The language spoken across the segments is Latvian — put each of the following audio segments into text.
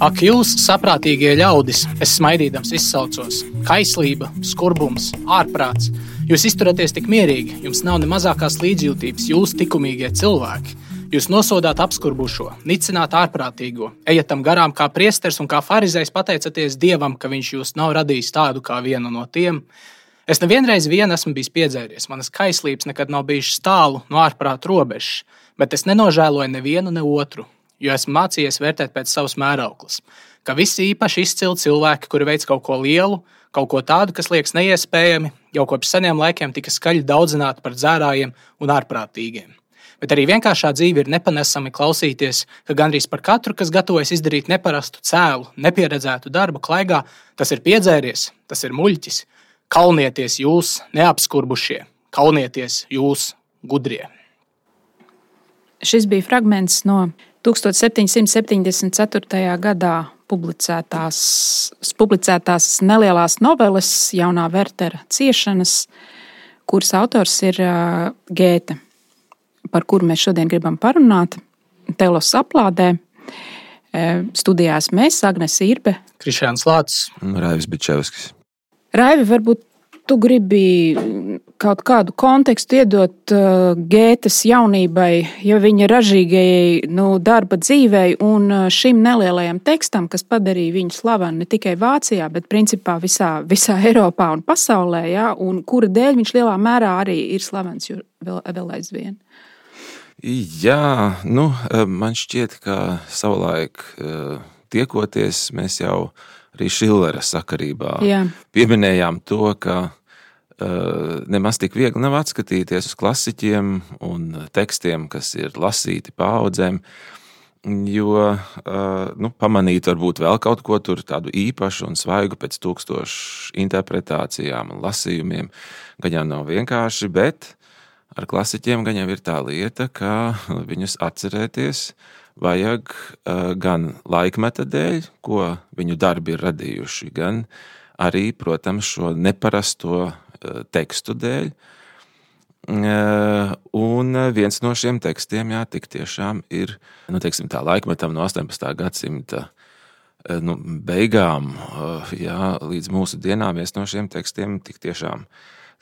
Ak, jūs, saprātīgie ļaudis, es smaidīdams izsaucos, kaislība, skurbums, ārprāts. Jūs izturaties tik mierīgi, jums nav ne mazākās līdzjūtības, jūs likumīgie cilvēki. Jūs nosodāt apskurbušo, nicināt ārprātīgo, ejat tam garām kā priesteris un kā farizejs pateicaties Dievam, ka viņš jūs nav radījis tādu kā vienu no tiem. Es nevienreiz esmu bijis piedzēries, manas kaislības nekad nav bijušas tālu no ārprāta robežas, bet es nenožēloju nevienu ne otru, jo esmu mācījies vērtēt pēc savas mērauklas, ka visi īpaši izcili cilvēki, kuri veic kaut ko lielu, kaut ko tādu, kas liekas neiespējami, jau kopš seniem laikiem tika skaļi daudzināti par dzērājiem un ārprātīgiem. Bet arī vienkāršā dzīve ir nepanesami klausīties, ka gandrīz par katru, kas gatavojas izdarīt neparastu cēlu, nepieredzētu darbu klaigā, tas ir piedzēries, tas ir muļķis. Kaunieties jūs, neapskurbušie, kaunieties jūs, gudrie. Šis bija fragments no 1774. gadā publicētās nelielās noveles Jaunā Vertera ciešanas, kuras autors ir Gēte, par kuru mēs šodien gribam parunāt. Telos aplādē. Studijās mēs, Agnes Irbe, Krišjāns Lācis un Raivis Bičevskis. Raivi, varbūt tu gribi kaut kādu kontekstu iedot Gētes jaunībai, ja viņa ražīgajai darba dzīvei un šim nelielajam tekstam, kas padarīja viņu slavenu ne tikai Vācijā, bet principā visā Eiropā un pasaulē, ja, un kura dēļ viņš lielā mērā arī ir slavens vēl aizvien. Jā, man šķiet, ka savulaik tiekoties, mēs jau arī Šillera sakarībā pieminējām to, ka nemaz tik viegli nav atskatīties uz klasiķiem un tekstiem, kas ir lasīti paaudzēm, jo pamanīt varbūt vēl kaut ko tur tādu īpašu un svaigu pēc 1000 interpretācijām un lasījumiem, gan jau nav vienkārši, bet ar klasiķiem gan jau ir tā lieta, ka viņus atcerēties vajag gan laikmeta dēļ, ko viņu darbi ir radījuši, gan arī, protams, šo neparasto tekstu dēļ. Un viens no šiem tekstiem, tik tiešām ir, tā laikmetam no 18. gadsimta beigām, līdz mūsu dienām viens no šiem tekstiem tik tiešām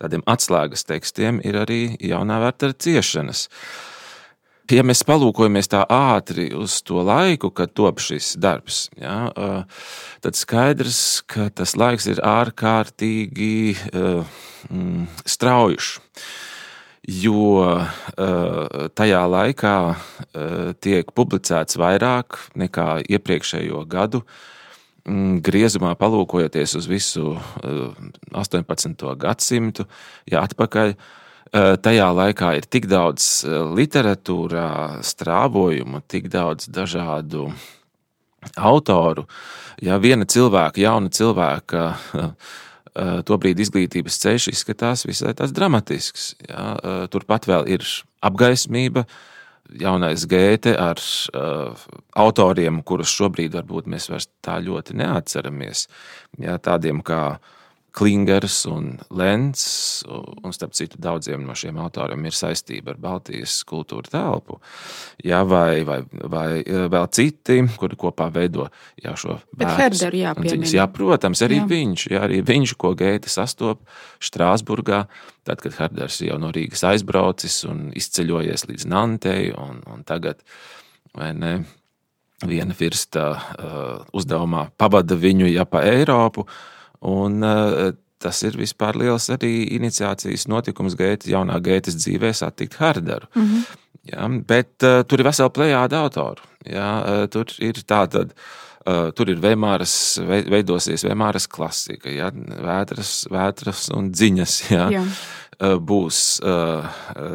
tādiem atslēgas tekstiem ir arī Jaunā Vertera ciešanas. Ja mēs palūkojamies tā ātri uz to laiku, kad top šis darbs, tad skaidrs, ka tas laiks ir ārkārtīgi straujušs, jo tajā laikā tiek publicēts vairāk nekā iepriekšējo gadu. Griezumā palūkojoties uz visu 18. gadsimtu, atpakaļ, tajā laikā ir tik daudz literatūrā strāvojumu, tik daudz dažādu autoru. Viena cilvēka, jauna cilvēka, tobrīd izglītības ceļš izskatās visai tās dramatisks. Turpat vēl ir apgaismība, jaunais Gēte ar autoriem, kurus šobrīd varbūt mēs vairs tā ļoti neatceramies. Tādiem kā Klingers un Lenz, un starp citu daudziem no šiem autoriem ir saistība ar Baltijas kultūra telpu. Vai vēl citi, kuri kopā veido šo Bet Herderu jāpiemina. Protams, arī viņš, ko Gēte sastop Štrāsburgā, tad, kad Herders jau no Rīgas aizbraucis un izceļojies līdz Nantei, un tagad, vai ne, viena virsta uzdevumā pavada viņu pa Eiropu, un tas ir vispār liels arī iniciācijas notikums jaunā Gētes dzīvē satikt Herderu. Bet tur ir vesela plejāda autoru. Tur ir tātad, tur ir veidosies Vēmāras klasika, vētras un dziņas, būs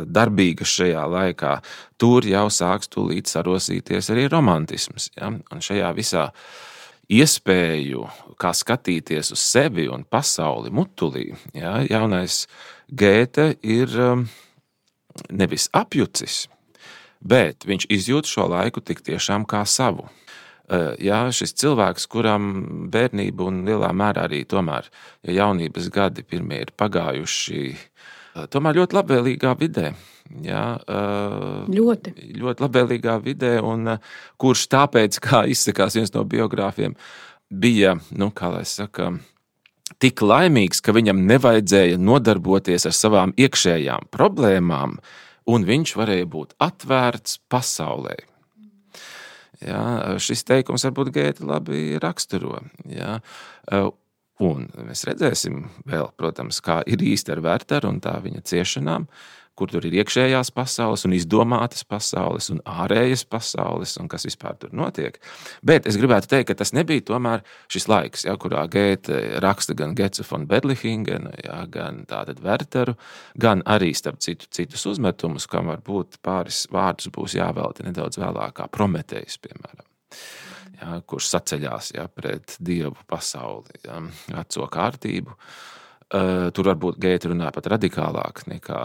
darbīgas šajā laikā. Tur jau sāks tūlīt sarosīties arī romantisms. Un šajā visā iespēju, kā skatīties uz sevi un pasauli mutulī, jaunais Gēte ir nevis apjucis, bet viņš izjūt šo laiku tik tiešām kā savu. Šis cilvēks, kuram bērnība un lielā mērā arī tomēr jaunības gadi pirmie ir pagājuši tomēr ļoti labvēlīgā vidē. Jā, ļoti labvēlīgā vidē, un kurš tāpēc, kā izsakās viens no biogrāfiem, bija, kā lai saka, tik laimīgs, ka viņam nevajadzēja nodarboties ar savām iekšējām problēmām, un viņš varēja būt atvērts pasaulē. Jā, šis teikums varbūt Gēti labi raksturo. Jā. Un mēs redzēsim vēl, protams, kā ir īsti ar Werteru un tā viņa ciešanām, kur tur ir iekšējās pasaules un izdomātas pasaules un ārējas pasaules un kas vispār tur notiek. Bet es gribētu teikt, ka tas nebija tomēr šis laiks, kurā Gēte raksta gan Getze von Berlichingen, gan tātad Werteru, gan arī starp citus uzmetumus, kam varbūt pāris vārdus būs jāvelta nedaudz vēlāk, kā Prometejs, piemēram. Kurš saceļās pret dievu pasauli, veco kārtību. Tur varbūt Gēte runā pat radikālāk nekā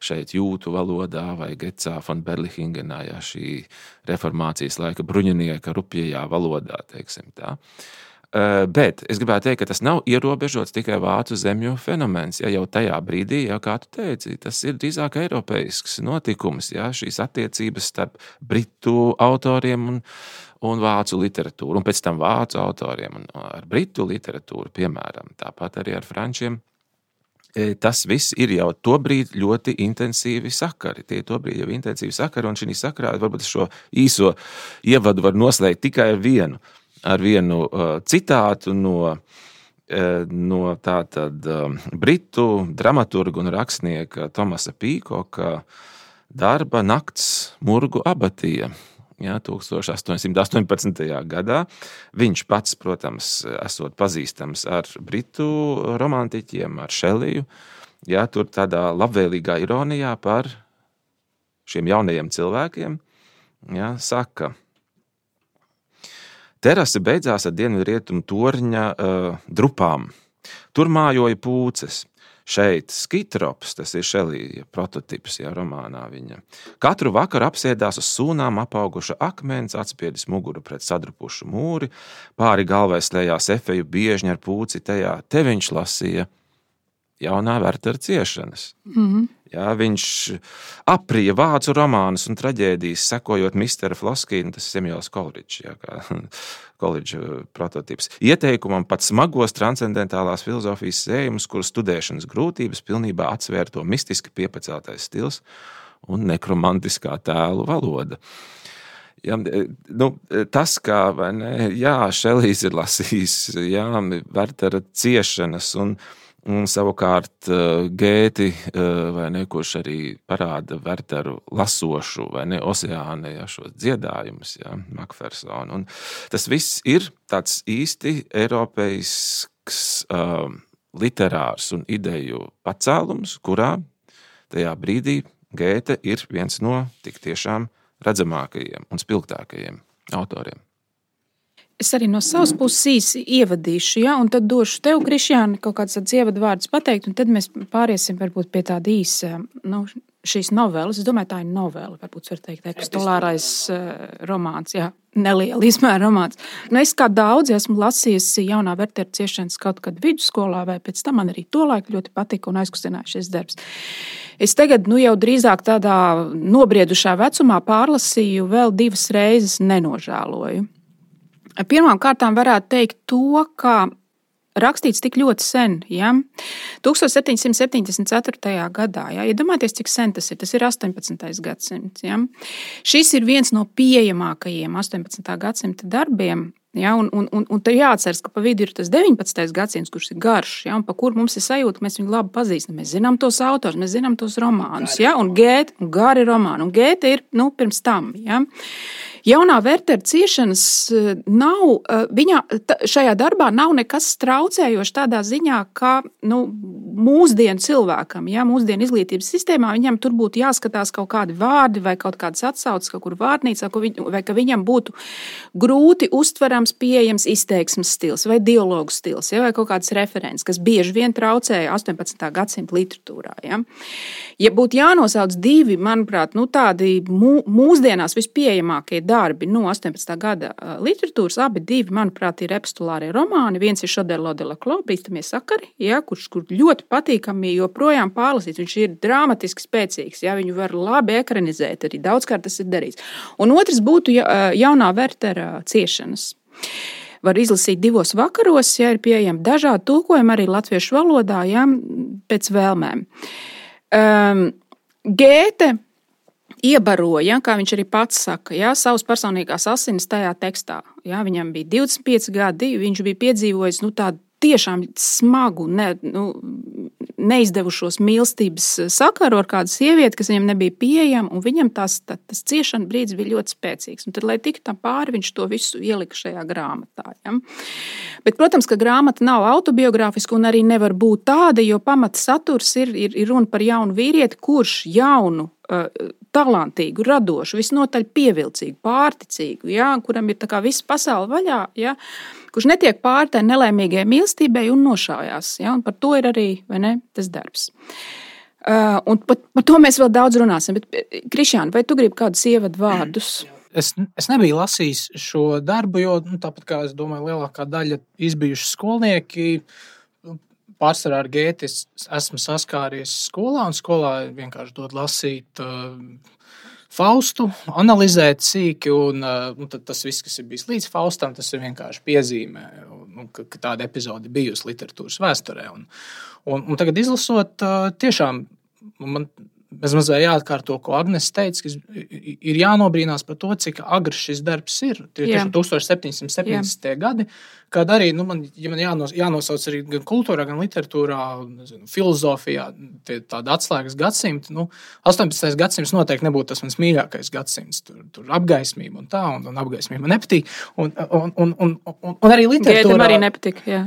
šeit jūtu valodā vai Getsā von Berlichingenā, šī reformācijas laika bruņinieka rupjajā valodā, teiksim tā. Bet es gribētu teikt, ka tas nav ierobežots tikai vācu zemju fenomens. Jau tajā brīdī, kā tu teici, tas ir drīzāk eiropeisks notikums, šīs attiecības starp britu autoriem un vācu literatūru, un pēc tam vācu autoriem un ar britu literatūru, piemēram, tāpat arī ar frančiem. Tas viss ir jau tobrīd ļoti intensīvi sakari. Tie tobrīd jau intensīvi sakari, un šī sakarā varbūt šo īso ievadu var noslēgt tikai ar vienu citātu no tātad britu dramaturga un rakstnieka Tomasa Pīkoka darba Nakts murgu abatija. 1818. gadā. Viņš pats, protams, esot pazīstams ar britu romantiķiem, ar Šeliju, tur tādā labvēlīgā ironijā par šiem jaunajiem cilvēkiem, saka, terase beidzās ar dienvidrietumu torņa drupām. Tur mājoja pūces. Šeit Skitrops, tas ir Šelija prototips, romānā viņa. Katru vakaru apsēdās uz sūnām apauguša akmens, atspiedis muguru pret sadrupušu mūri, pāri galvai slējās efeju biežņi ar pūci tajā. Te viņš lasīja jaunā Wertera ciešanas. Viņš aprija vācu romānus un traģēdijas, sekojot Mistera Floskīnu, tas Semjols Koldridžs, Koldridža prototips. Ieteikumam pat smagos transcendentālās filozofijas sējumus, kuru studēšanas grūtības pilnībā atsvēra to mistiski piepaceltais stils un nekromantiskā tēlu valoda. Tas, kā Šelijs ir lasījis, Wertera ciešanas un savukārt Gēti, kurš arī parāda Werteru lasošu, oseāne, šos dziedājumus, Makfersonu. Un tas viss ir tāds īsti eiropeisks literārs un ideju pacēlums, kurā tajā brīdī Gēte ir viens no tik tiešām redzamākajiem un spilgtākajiem autoriem. Es arī no savas puses īsi ievadīšu, un tad došu tev, Krišjāni, kaut kāds tāds ievadvārdus pateikt, un tad mēs pāriesim varbūt pie tāda īsa, šīs novelas. Es domāju, tā ir novela, varbūt var teikt, epistolārais romāns, neliela izmēra romāns. Es kā daudzi esmu lasījusi jaunā Wertera ciešanas kaut kad vidusskolā, vai pēc tam man arī tolaik ļoti patika un aizkustināja šis darbs. Es tagad jau drīzāk tādā nobriedušā vecumā pārlasīju vēl 2 reizes, nenožēloju. Pirmām kārtām varētu teikt to, ka rakstīts tik ļoti sen, 1774. gadā. Iedomājieties, cik sen tas ir 18. gadsimts. Šis ir viens no pieejamākajiem 18. gadsimta darbiem. Un te jāatceras, ka pa vidu ir tas 19. gadsimts, kurš ir garš, un pa kur mums ir sajūta, ka mēs viņu labi pazīstam. Mēs zinām tos autors, mēs zinām tos romānus, un Gēte, un gari romāni, un Gēte ir pirms tam. Jaunā Wertera ciešanas nav, šajā darbā nav nekas traucējošs tādā ziņā, ka mūsdienu cilvēkam, mūsdienu izglītības sistēmā, viņam tur būtu jāskatās kaut kādi vārdi vai kaut kādas atsauces kaut kur vārnīcā, vai ka viņam būtu grūti uztverams, pieejams izteiksmes stils vai dialogu stils, vai kaut kāds referents, kas bieži vien traucēja 18. gadsimta literatūrā. Ja būtu jānosauc 2, manuprāt, tādi mūsdienās vispieejamākie darbi no 18. gada literatūras, abi divi, manuprāt, ir epistulārie romāni. Viens ir Šoderlo de la Clos, Bīstamie sakari, ja, kur ļoti patīkami joprojām pārlasīts. Viņš ir dramatiski spēcīgs, ja, viņu var labi ekranizēt, arī daudzkārt tas ir darīts. Un otrs būtu Jaunā Vertera Ciešanas. Var izlasīt 2 vakaros, ja ir pieejami dažādi tulkojumi arī latviešu valodā, ja, pēc vēlmēm. Gēte iebaroja, kā viņš arī pats saka, ja, savas personīgās asinis tajā tekstā. Ja, viņam bija 25 gadi, viņš bija piedzīvojis tādu tiešām smagu, neizdevušos mīlestības sakaru ar kādu sievieti, kas viņam nebija pieejama, un viņam tas ciešana brīdis bija ļoti spēcīgs. Un tad, lai tiktu tam pāri, viņš to visu ielika šajā grāmatā. Ja? Bet, protams, ka grāmata nav autobiogrāfiska un arī nevar būt tāda, jo pamata saturs ir runa par jaunu vīrieti, kurš jaunu, talantīgu, radošu, visnotaļ pievilcīgu, pārticīgu, ja? Kuram ir tā kā visa pasaule vaļā, ja? Kurš netiek pāri tai nelaimīgai mīlestībai un nošaujās. Ja? Un par to ir arī tas darbs. Un par to mēs vēl daudz runāsim. Bet, Krišjāna, vai tu gribi kādus ievadu vārdus? Es nebiju lasījis šo darbu, jo tāpat kā es domāju, lielākā daļa izbijuši skolnieki. Pārsvarā ar Gēti esmu saskāries skolā, un skolā vienkārši dod lasīt Faustu, analizēt sīki, un tad tas viss, kas ir bijis līdz Faustam, tas ir vienkārši piezīmē, ka tāda epizode bijusi literatūras vēsturē. Un tagad izlasot, tiešām man mazliet jāatkārto, ko Agnes teica, ka ir jānobrīnās par to, cik agrs šis darbs ir. Tie ir 1770. gadi, kad arī, ja man jānosauc arī gan kultūrā, gan literatūrā, filozofijā, tāda atslēgas gadsimta, 18. gadsimts noteikti nebūtu tas mans mīļākais gadsimts. Tur apgaismība un tā, un apgaismība nepatīk. Un arī literatūrā. Gētam arī nepatīk, jā.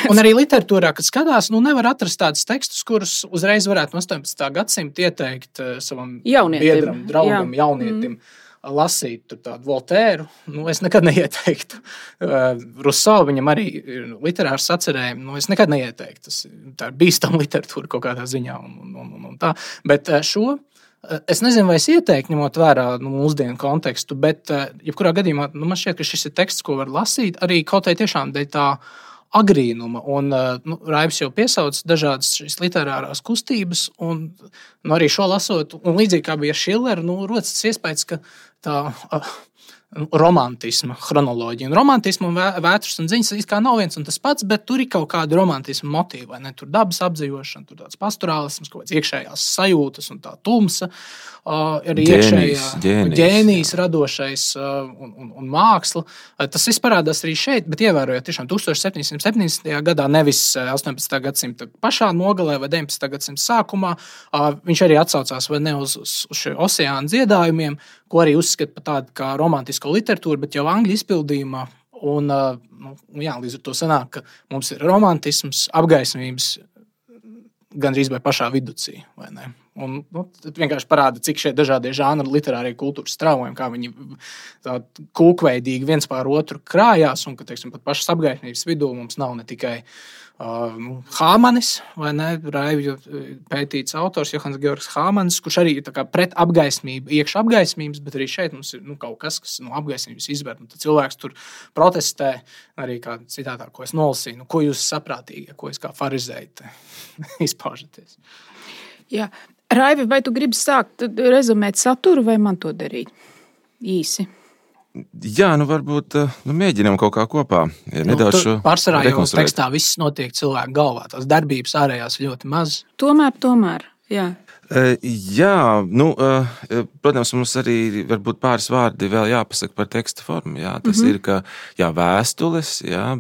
Un arī literatūrā, kad skatās, nevar atrast tādus tekstus, kurus uzreiz varētu no 18. gadsimta ieteikt savam biedram, draugam, jaunietim. Lasīt tādu Voltēru, es nekad neieteiktu. Rousseau, viņam arī ir literārs sacerējumi, es nekad neieteiktu. Tā ir bīstama literatūra kaut kādā ziņā un tā. Bet šo, es nezinu, vai es ieteiktu, ņemot vērā mūsdienu kontekstu, bet jebkurā gadījumā man šķiet, ka šis ir teksts, ko var lasīt, arī kaut vai tiešām dēļ tā agrīnuma. Un Raivis jau piesauc dažādas šīs literārās kustības, un arī šo lasot, un līdzīgi kā bija ar Šileru, rodas tas iespējas, ka tā romantisma chronoloģija. Un romantisma un vētras un ziņas it kā nav viens un tas pats, bet tur ir kaut kāda romantisma motīva, vai ne? Tur dabas apdzīvošana, tur tāds pastorālisms, kaut kāds iekšējās sajūtas un tā tumsa, arī iekšējā ģēnijs radošais un māksla. Tas viss parādās arī šeit, bet ievērojot tiešām 1770. gadā, nevis 18. gadsimta pašā nogalē vai 19. gadsimta sākumā, viņš arī atsaucās vai ne uz šiem oseāna dziedājumiem, ko arī uzskata par tādu kā romantisko literatūru, bet jau angļu izpildījumā. Un, līdz ar to sanāk, ka mums ir romantisms, apgaismības gandrīz vai pašā viducī, vai ne? Un tad vienkārši parāda, cik šie dažādie žanri literārie kultūras straumojumi, kā viņi tā kūkveidīgi viens pār otru krājās, un ka, teiksim, pat pašas apgaismības vidū mums nav ne tikai Hāmanis, vai ne, Raivi pētīts autors Johans Georgs Hāmanis, kurš arī ir tā kā pret apgaismību, iekš apgaismības, bet arī šeit mums ir kaut kas no apgaismības izvērt. Un tad cilvēks tur protestē, arī kā citātā, ko es nolasīju, ko jūs saprātīgi, ko es kā farizēji izpaužaties. Jā. Raivi, vai tu gribi sākt rezumēt saturu, vai man to darīt īsi? Jā, varbūt mēģinām kaut kā kopā. Nedaudz pārsvarā jau tekstā viss notiek cilvēku galvā. Tās darbības ārējās ļoti maz. Tomēr, jā. Jā, protams, mums arī varbūt pāris vārdi vēl jāpasaka par teksta formu. Jā. Tas ir, ka vēstules,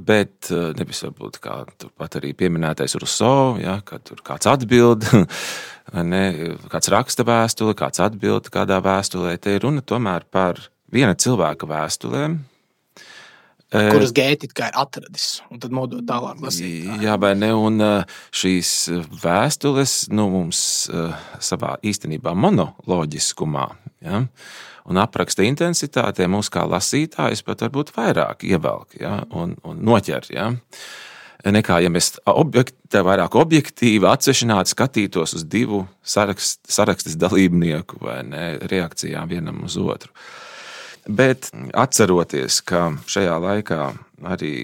bet nevis varbūt kā turpat arī pieminētais Rousseau, ka tur kāds atbild, kāds raksta vēstuli, kāds atbild kādā vēstulē. Te ir runa tomēr par viena cilvēka vēstulēm, kuras Gēti kā ir atradis, un tad nodot tālāk lasītājiem. Jā, vai ne, un šīs vēstules mums savā īstenībā monoloģiskumā, un apraksta intensitātē mūs kā lasītājus pat varbūt vairāk ievelk, un noķer, nekā, ja mēs vairāk objektīvi atsvešināti skatītos uz divu sarakstes dalībnieku vai ne, reakcijām vienam uz otru. Bet atceroties, ka šajā laikā arī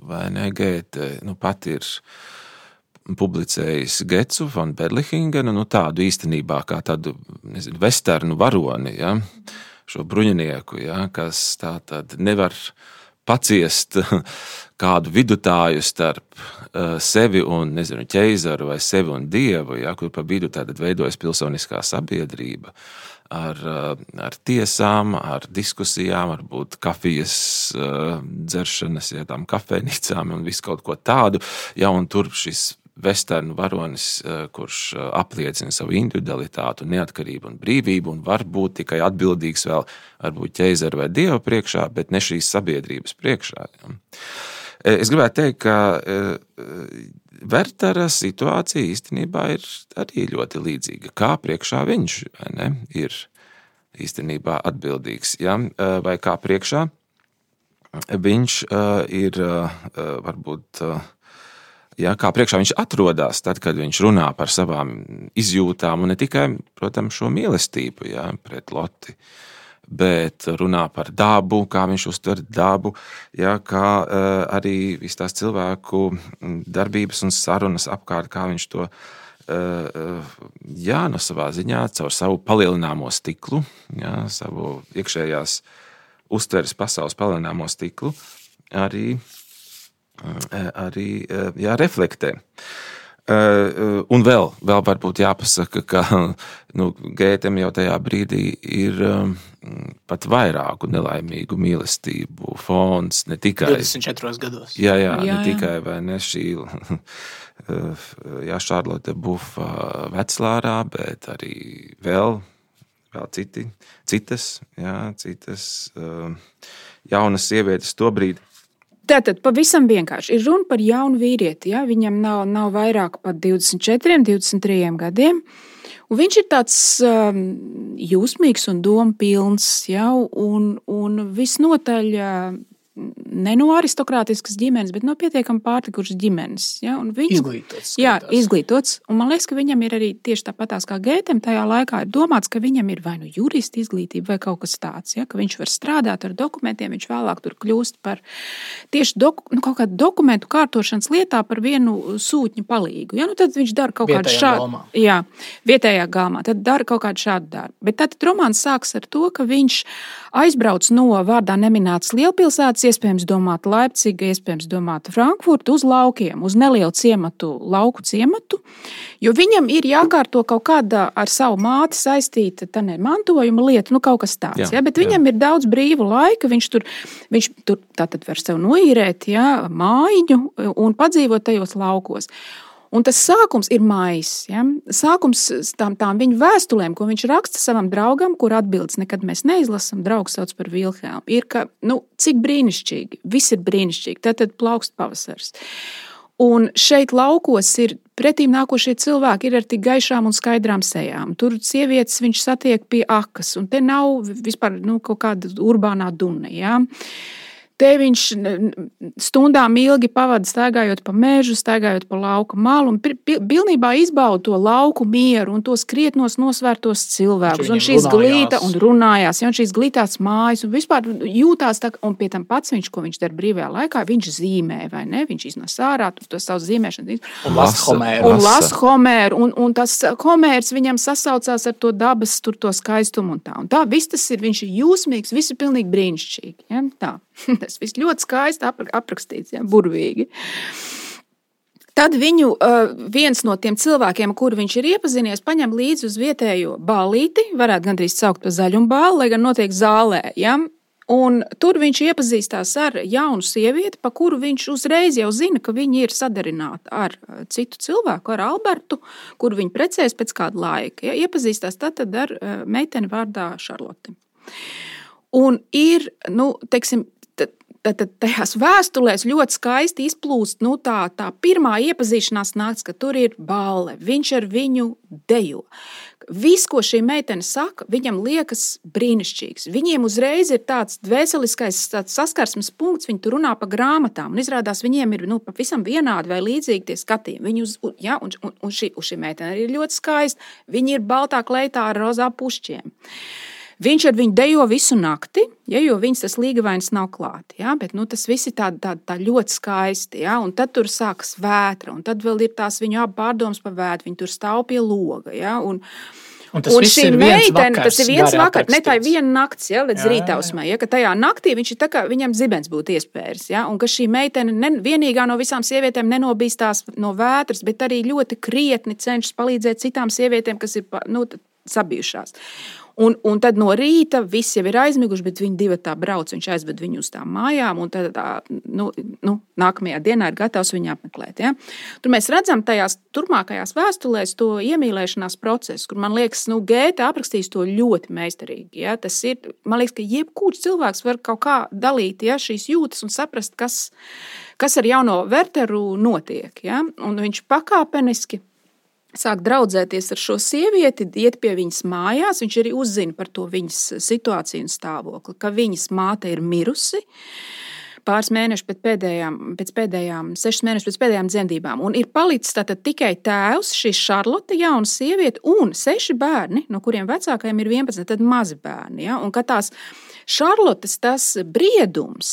vai ne, Gēte pat ir publicējis Getzu von Berlichingenu, tādu īstenībā kā tādu, vesternu varoni, ja, šo bruņinieku, ja, kas tā tad nevar paciest kādu vidutāju starp sevi un, ķeizaru vai sevi un dievu, ja, kur pa vidu tātad veidojas pilsoniskā sabiedrība ar tiesām, ar diskusijām, varbūt kafijas dzeršanas, ja, tām kafejnīcām un visu kaut ko tādu, ja, un tur šis vesternu varonis, kurš apliecina savu individualitātu, neatkarību un brīvību un var būt tikai atbildīgs vēl varbūt ķeizaru vai dievu priekšā, bet ne šīs sabiedrības priekšā. Ja. Es gribētu teikt, ka Wertera situācija īstenībā ir arī ļoti līdzīga. Kā priekšā viņš ir īstenībā atbildīgs, ja? Vai kā priekšā viņš ir varbūt... Ja, kā priekšā viņš atrodas, tad, kad viņš runā par savām izjūtām, un ne tikai, protams, šo mīlestību, ja, pret Loti, bet runā par dabu, kā viņš uztver dabu, ja, kā arī viss tās cilvēku darbības un sarunas apkārt, kā viņš to jā, no savā ziņā caur savu palielināmo stiklu, ja, savu iekšējās uztveres pasaules palielināmo stiklu, arī jā, reflektē. Un vēl varbūt jāpasaka, ka Gētem jau tajā brīdī ir pat vairāku nelaimīgu mīlestību fons, ne tikai 24 gados. Jā, ne tikai vai ne šī Šarlote Bufa Veclārā, bet arī vēl citas jaunas sievietes to brīdi. Tātad pavisam vienkārši ir runa par jaunu vīrieti. Ja? Viņam nav vairāk pat 24, 23 gadiem. Un viņš ir tāds jūsmīgs un domu pilns, ja? un visnotaļ ne no aristokrātiskas ģimenes, bet no pietiekami pārtikušas ģimenes. Ja? Izglītots. Jā, izglītots. Un man liekas, ka viņam ir arī tieši tāpatās kā Gētem tajā laikā ir domāts, ka viņam ir vai nu jurista izglītība vai kaut kas tāds, ja? Ka viņš var strādāt ar dokumentiem, viņš vēlāk tur kļūst par tieši kaut kādu dokumentu kārtošanas lietā par vienu sūtņu palīgu. Ja? Tad viņš dara kaut kādu šādu. Jā, vietējā galmā. Tad dara kaut kādu šādu darbu. Bet tad romāns sāks ar to, ka viņš aizbrauc no vārdā neminētas lielpilsētas, iespējams domāt Leipciga, iespējams domāt Frankfurtu, uz laukiem, uz nelielu ciematu, lauku ciematu, jo viņam ir jākārto kaut kāda ar savu māti saistīta mantojuma lieta, kaut kas tāds. Ja? Bet viņam ir daudz brīvu laika, viņš tur tātad var sev noīrēt, ja, mājiņu un padzīvot tajos laukos. Un tas sākums ir maijs. Ja? Sākums tām viņa vēstulēm, ko viņš raksta savam draugam, kur atbildes nekad mēs neizlasam, draugs sauc par Vilhelmu, ir, ka, cik brīnišķīgi, viss ir brīnišķīgi, tad plaukst pavasars. Un šeit laukos ir pretīm nākošie cilvēki ir ar tik gaišām un skaidrām sejām. Tur sievietes viņš satiek pie akas, un te nav vispār kaut kāda urbānā dune, ja? Te viņš stundām ilgi pavada staigājot pa mežu, staigājot pa lauka malu un pilnībā izbauda to lauku mieru un tos krietnos nosvērtos cilvēkus. Un šīs glīta un runājās, ja, un šīs glītās mājas un vispār jūtās tā, un pie tam pats viņš, ko viņš dara brīvajā laikā, viņš zīmē, vai ne? Viņš iznes ārā to savu zīmēšanu. Un lasa Homēru. Un tas Homērs viņam sasaucās ar to dabas, tur to skaistumu un tā. Un tā viss tas ir, viņš ir jūsmīgs, viss ir pilnīgi brīnišķīgi. Ja? Tā. Tas viss ļoti skaisti aprakstīts, ja, burvīgi. Tad viņu viens no tiem cilvēkiem, kuru viņš ir iepazinies, paņem līdzi uz vietējo ballīti, varētu gandrīz saukt par zaļumbāli, lai gan notiek zālē. Ja? Un tur viņš iepazīstās ar jaunu sievieti, pa kuru viņš uzreiz jau zina, ka viņa ir sadarināta ar citu cilvēku, ar Albertu, kuru viņa precēs pēc kāda laika. Ja? Iepazīstās tad ar meiteni vārdā Šarlote. Un ir, teiksim, tad tajās vēstulēs ļoti skaisti izplūst tā pirmā iepazīšanās nakts, ka tur ir balle, viņš ar viņu dejo. Viss, ko šī meitene saka, viņam liekas brīnišķīgs. Viņiem uzreiz ir tāds dvēseliskais saskarsmes punkts, viņi tur runā pa grāmatām, un izrādās viņiem ir pavisam vienādi vai līdzīgi tie skatījumi. Un šī meitene ir ļoti skaista. Viņi ir baltā kleitā ar rozā pušķiem. Viņš ar viņu dejo visu nakti, jo viņas tas līgavains nav klāt. Bet tas viss ir tā ļoti skaisti. Un tad tur sākas vētra, un tad vēl ir tās viņu abi pārdomas par vētru. Viņi tur stāv pie loga. Un tas viss ir viens vakars. Tas ir viens vakars, ne tā ir viena nakts, līdz rītausmai. Ka tajā naktī viņš ir tā kā viņam zibens būtu iespējas. Un ka šī meitene vienīgā no visām sievietēm nenobīstās no vētras, bet arī ļoti krietni cenšas palīdzēt citām sievietēm, kas ir sabijušās. Un tad no rīta viss jau ir aizmiguši, bet viņi divi tā brauc, viņš aizved viņu uz tām mājām, un tad nākamajā dienā ir gatavs viņu apmeklēt. Tur mēs redzam tajās turpmākajās vēstulēs to iemīlēšanās procesu, kur, man liekas, Gēte aprakstīs to ļoti meistarīgi. Tas ir, man liekas, ka jebkurš cilvēks var kaut kā dalīt šīs jūtas un saprast, kas ar jauno Werteru notiek. Un viņš pakāpeniski sāk draudzēties ar šo sievieti, iet pie viņas mājās. Viņš arī uzzina par to viņas situāciju un stāvokli, ka viņas māte ir mirusi pāris mēneši pēc pēdējām 6 mēnešus pēc pēdējām dzemdībām. Un ir palicis tātad tikai tēvs, šī Šarlote, jauna sieviete, un 6 bērni, no kuriem vecākajiem ir 11, tad mazi bērni. Un ka tās Šarlotes tas briedums,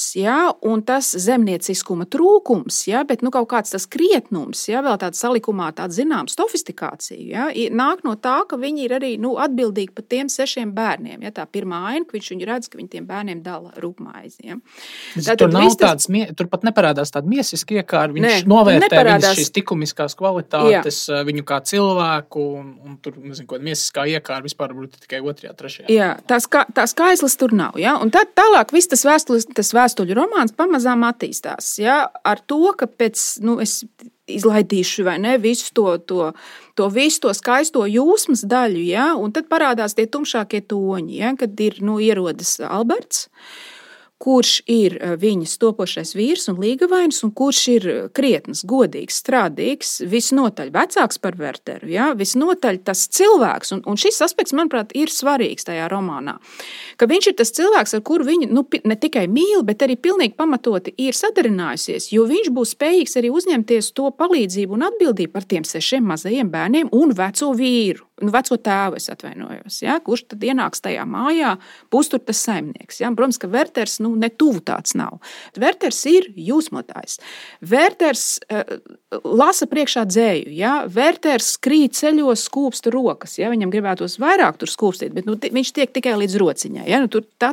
un tas zemnieciskuma trūkums, bet kaut kāds tas krietnums, vēl tāda salikumā tāda zināma sofistikācija, nāk no tā, ka viņi ir arī atbildīgi par tiem 6 bērniem. Tā pirmā aina, ka viņš viņu redz, ka viņi tiem bērniem dala rūpmaizi. Tur pat neparādās tāda miesiska iekāra, viņš novērtē viņas šīs likumiskās kvalitātes, viņu kā cilvēku, un tur, nezinu, ko miesiskā iekāra vispār būtu tikai 2., 3. Jā, tās skaislas tur nav. Un tad tālāk viss tas vēstuļu romāns pamazām attīstās. Ar to, ka pēc, es izlaidīšu vai ne, visu to skaisto jūsmas daļu, un tad parādās tie tumšākie toņi, kad ir, ierodas Alberts, kurš ir viņas topošais vīrs un līgavainis, un kurš ir krietns, godīgs, strādīgs, visnotaļ vecāks par Werteru, visnotaļ tas cilvēks, un šis aspekts, manuprāt, ir svarīgs tajā romānā, ka viņš ir tas cilvēks, ar kuru viņa ne tikai mīl, bet arī pilnīgi pamatoti ir sadarinājusies, jo viņš būs spējīgs arī uzņemties to palīdzību un atbildību par tiem 6 mazajiem bērniem un veco vīru. Veco tēvu, es atvainojos, kurš tad ienāks tajā mājā, būs tur tas saimnieks. Protams, ka Werters ne tuvu tāds nav. Werters ir jūsmotājs. Werters lasa priekšā dzēju. Werters krīt ceļos, skūpsta rokas. Viņam gribētos vairāk tur skūpstīt, bet viņš tiek tikai līdz rociņai.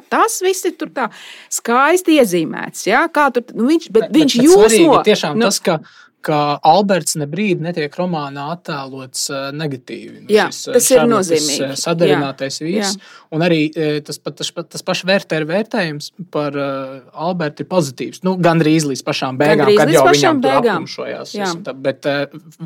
Tas viss ir tur tā skaisti iezīmēts. Kā tur, viņš jūsmo. Tiešām tas, ka Alberts nebrīd netiek romānā attēlots negatīvi. Tas ir nozīmīgi. Sadarinātais vīrs. Un arī tas pašs vērtējums par Albertu ir pozitīvs. Gandrīz līdz pašām beigām, kad jau viņam tur aptumšojās. Bet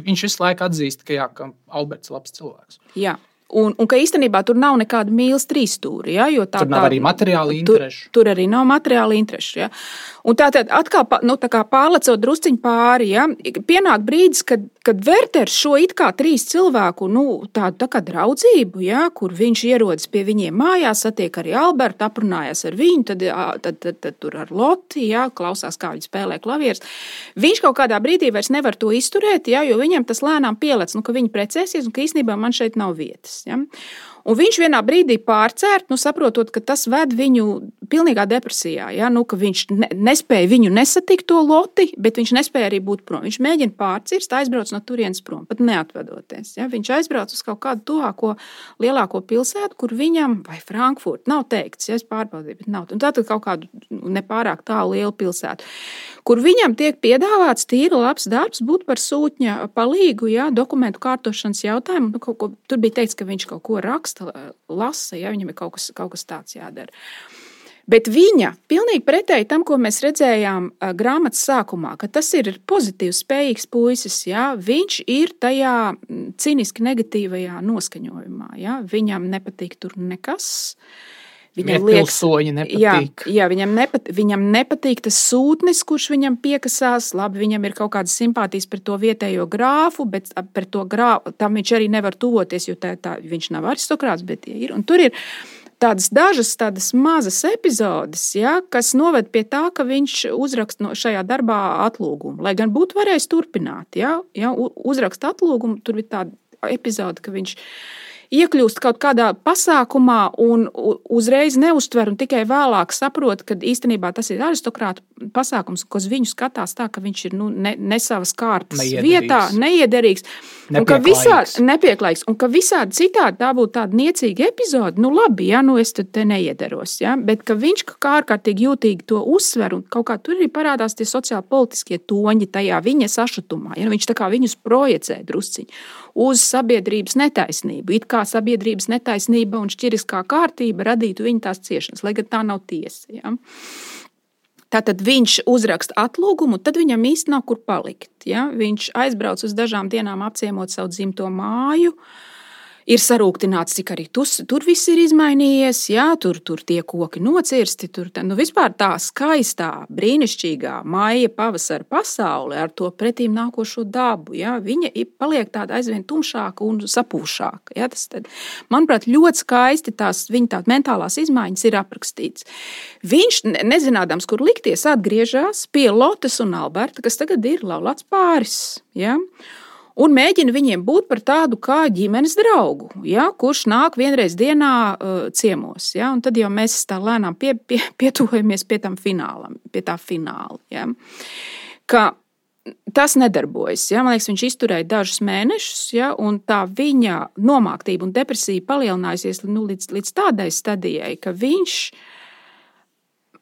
viņš visu laiku atzīst, ka Alberts ir labs cilvēks. Jā. Un ka īstenībā tur nav nekāda mīlas trīsstūri, jo tur nav arī materiāla interešu. Tur arī nav materiāla interešu, Un tātad atkal, tā kā pārlecot drusciņu pāri, pienāk brīdis, kad Werters šo it kā 3 cilvēku, tādu tā kā draudzību, kur viņš ierodas pie viņiem mājās, satiek arī Albertu, aprunājās ar viņu, tad tur ar Loti, klausās, kā viņi spēlē klavieres. Viņš kaut kādā brīdī vairs nevar to izturēt, jo viņam tas lēnām pielec, ka viņi precēsies un ka īstenībā man šeit nav vietas. Un viņš vienā brīdī pārcērt, saprotot, ka tas ved viņu pilnīgā depresijā, ka viņš nespēja viņu nesatikt to Loti, bet viņš nespēja arī būt prom. Viņš mēģina pārcirst, aizbrauc no turienes prom, pat neatvedoties. Viņš aizbrauc uz kaut kādu tuvāko lielāko pilsētu, kur viņam, vai Frankfurt, nav teikts, es pārbaudīju, bet nav. Un tātad kaut kādu nepārāk tālu lielu pilsētu, kur viņam tiek piedāvāts tīri labs darbs būt par sūtņa palīgu, dokumentu kārtošanas jautājumu. Tur bija teikts, ka viņš kaut ko raksta, lasa, viņam ir kaut kas tāds jādara. Bet viņa, pilnīgi pretēji tam, ko mēs redzējām grāmatas sākumā, ka tas ir pozitīvs, spējīgs puisis, viņš ir tajā ciniski negatīvajā noskaņojumā. Viņam nepatīk tur nekas. Pilsoņi nepatīk. Jā, viņam nepatīk tas sūtnis, kurš viņam piekasās. Labi, viņam ir kaut kādas simpātijas par to vietējo grāfu, bet par to grāfu tam viņš arī nevar tuvoties, jo viņš nav aristokrāts, bet ir. Un tur ir dažas mazas epizodes, ja, kas noved pie tā, ka viņš uzraksta šajā darbā atlūgumu. Lai gan būtu varējis turpināt, ja, uzraksta atlūgumu, tur ir tāda epizode, ka viņš iekļūst kaut kādā pasākumā un uzreiz neuztver un tikai vēlāk saprot, ka īstenībā tas ir aristokrātu pasākums, ko uz viņu skatās tā, ka viņš ir ne savas kārtas vietā, neiederīgs. Nepieklājīgs. Un ka visādi citādi tā būtu tāda niecīga epizode, labi, ja, es te neiederos. Ja, bet ka viņš kā ārkārtīgi jūtīgi to uzsver un kaut kā tur arī parādās tie sociāli politiskie toņi tajā viņa sašutumā. Ja, viņš tā kā viņus projicē drusciņi uz sabiedrības netaisnību. It kā sabiedrības netaisnība un šķiriskā kārtība radītu viņa tās ciešanas, lai gan tā nav tiesa. Ja. Tātad viņš uzraksta atlūgumu, tad viņam īsti nav kur palikt. Ja. Viņš aizbrauc uz dažām dienām apciemot savu dzimto māju, ir sarūktināts, cik arī tur viss ir izmainījies, ja, tur tie koki nocirsti, vispār tā skaistā, brīnišķīgā maija pavasara pasaule ar to pretīm nākošo dabu, ja, viņa paliek tāda aizvien tumšāka un sapūšāka. Ja, manuprāt, ļoti skaisti viņa tā mentālās izmaiņas ir aprakstīts. Viņš, nezinādams, kur likties, atgriežas pie Lotes un Alberta, kas tagad ir laulāts pāris, ja. Un mēģina viņiem būt par tādu kā ģimenes draugu, ja, kurš nāk vienreiz dienā ciemos. Ja, un tad jau mēs tā lēnām pietuvojamies pie tā fināla. Ja. Ka tas nedarbojas. Ja. Man liekas, viņš izturēja dažus mēnešus, ja, un tā viņa nomāktība un depresija palielinājusies līdz tādai stadijai, ka viņš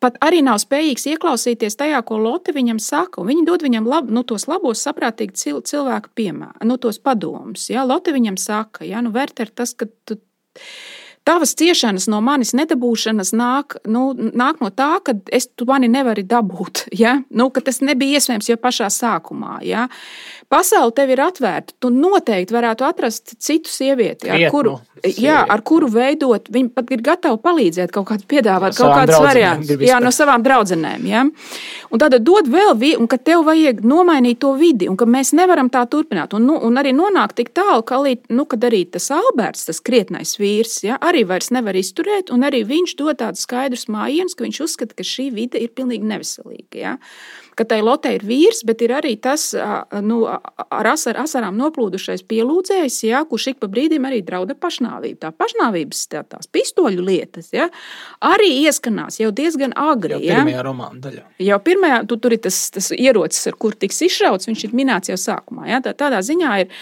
pat arī nav spējīgs ieklausīties tajā, ko Lotte viņam saka. Viņi dod viņam tos labos, saprātīgi cilvēku piemēru, tos padomus. Ja? Lotte viņam saka, ja? Werter, tas, ka tavas ciešanas no manis nedabūšanas nāk no tā, ka tu mani nevari dabūt. Ja? Ka tas nebija iespējams jau pašā sākumā. Ja? Pasaule tev ir atvērta. Tu noteikti varētu atrast citu sievieti, ar kuru veidot. Viņi pat ir gatavi palīdzēt, kaut kādu piedāvāt, kaut kādus variantus. Jā, no savām draudzenēm. Ja? Un tad dod vēl, un ka tev vajag nomainīt to vidi, un ka mēs nevaram tā turpināt. Un arī nonākt tik tālu, kad arī tas Alberts, tas krietnais vīrs, ja, arī vairs nevar izturēt, un arī viņš dod tādu skaidrus mājienus, ka viņš uzskata, ka šī vide ir pilnīgi neveselīga. Ja? Ka tai Lotte ir vīrs, bet ir arī tas ar asarām noplūdušais pielūdzējs, ja, kurš ik pa brīdim arī drauda pašnāvību. Tā pašnāvības tās pistoļu lietas, ja, arī ieskanās jau diezgan agri. Jau pirmajā romāna daļā. Jau pirmajā, tur ir tas ierocis, ar kur tiks izšauts, viņš ir minēts jau sākumā. Ja. Tādā ziņā ir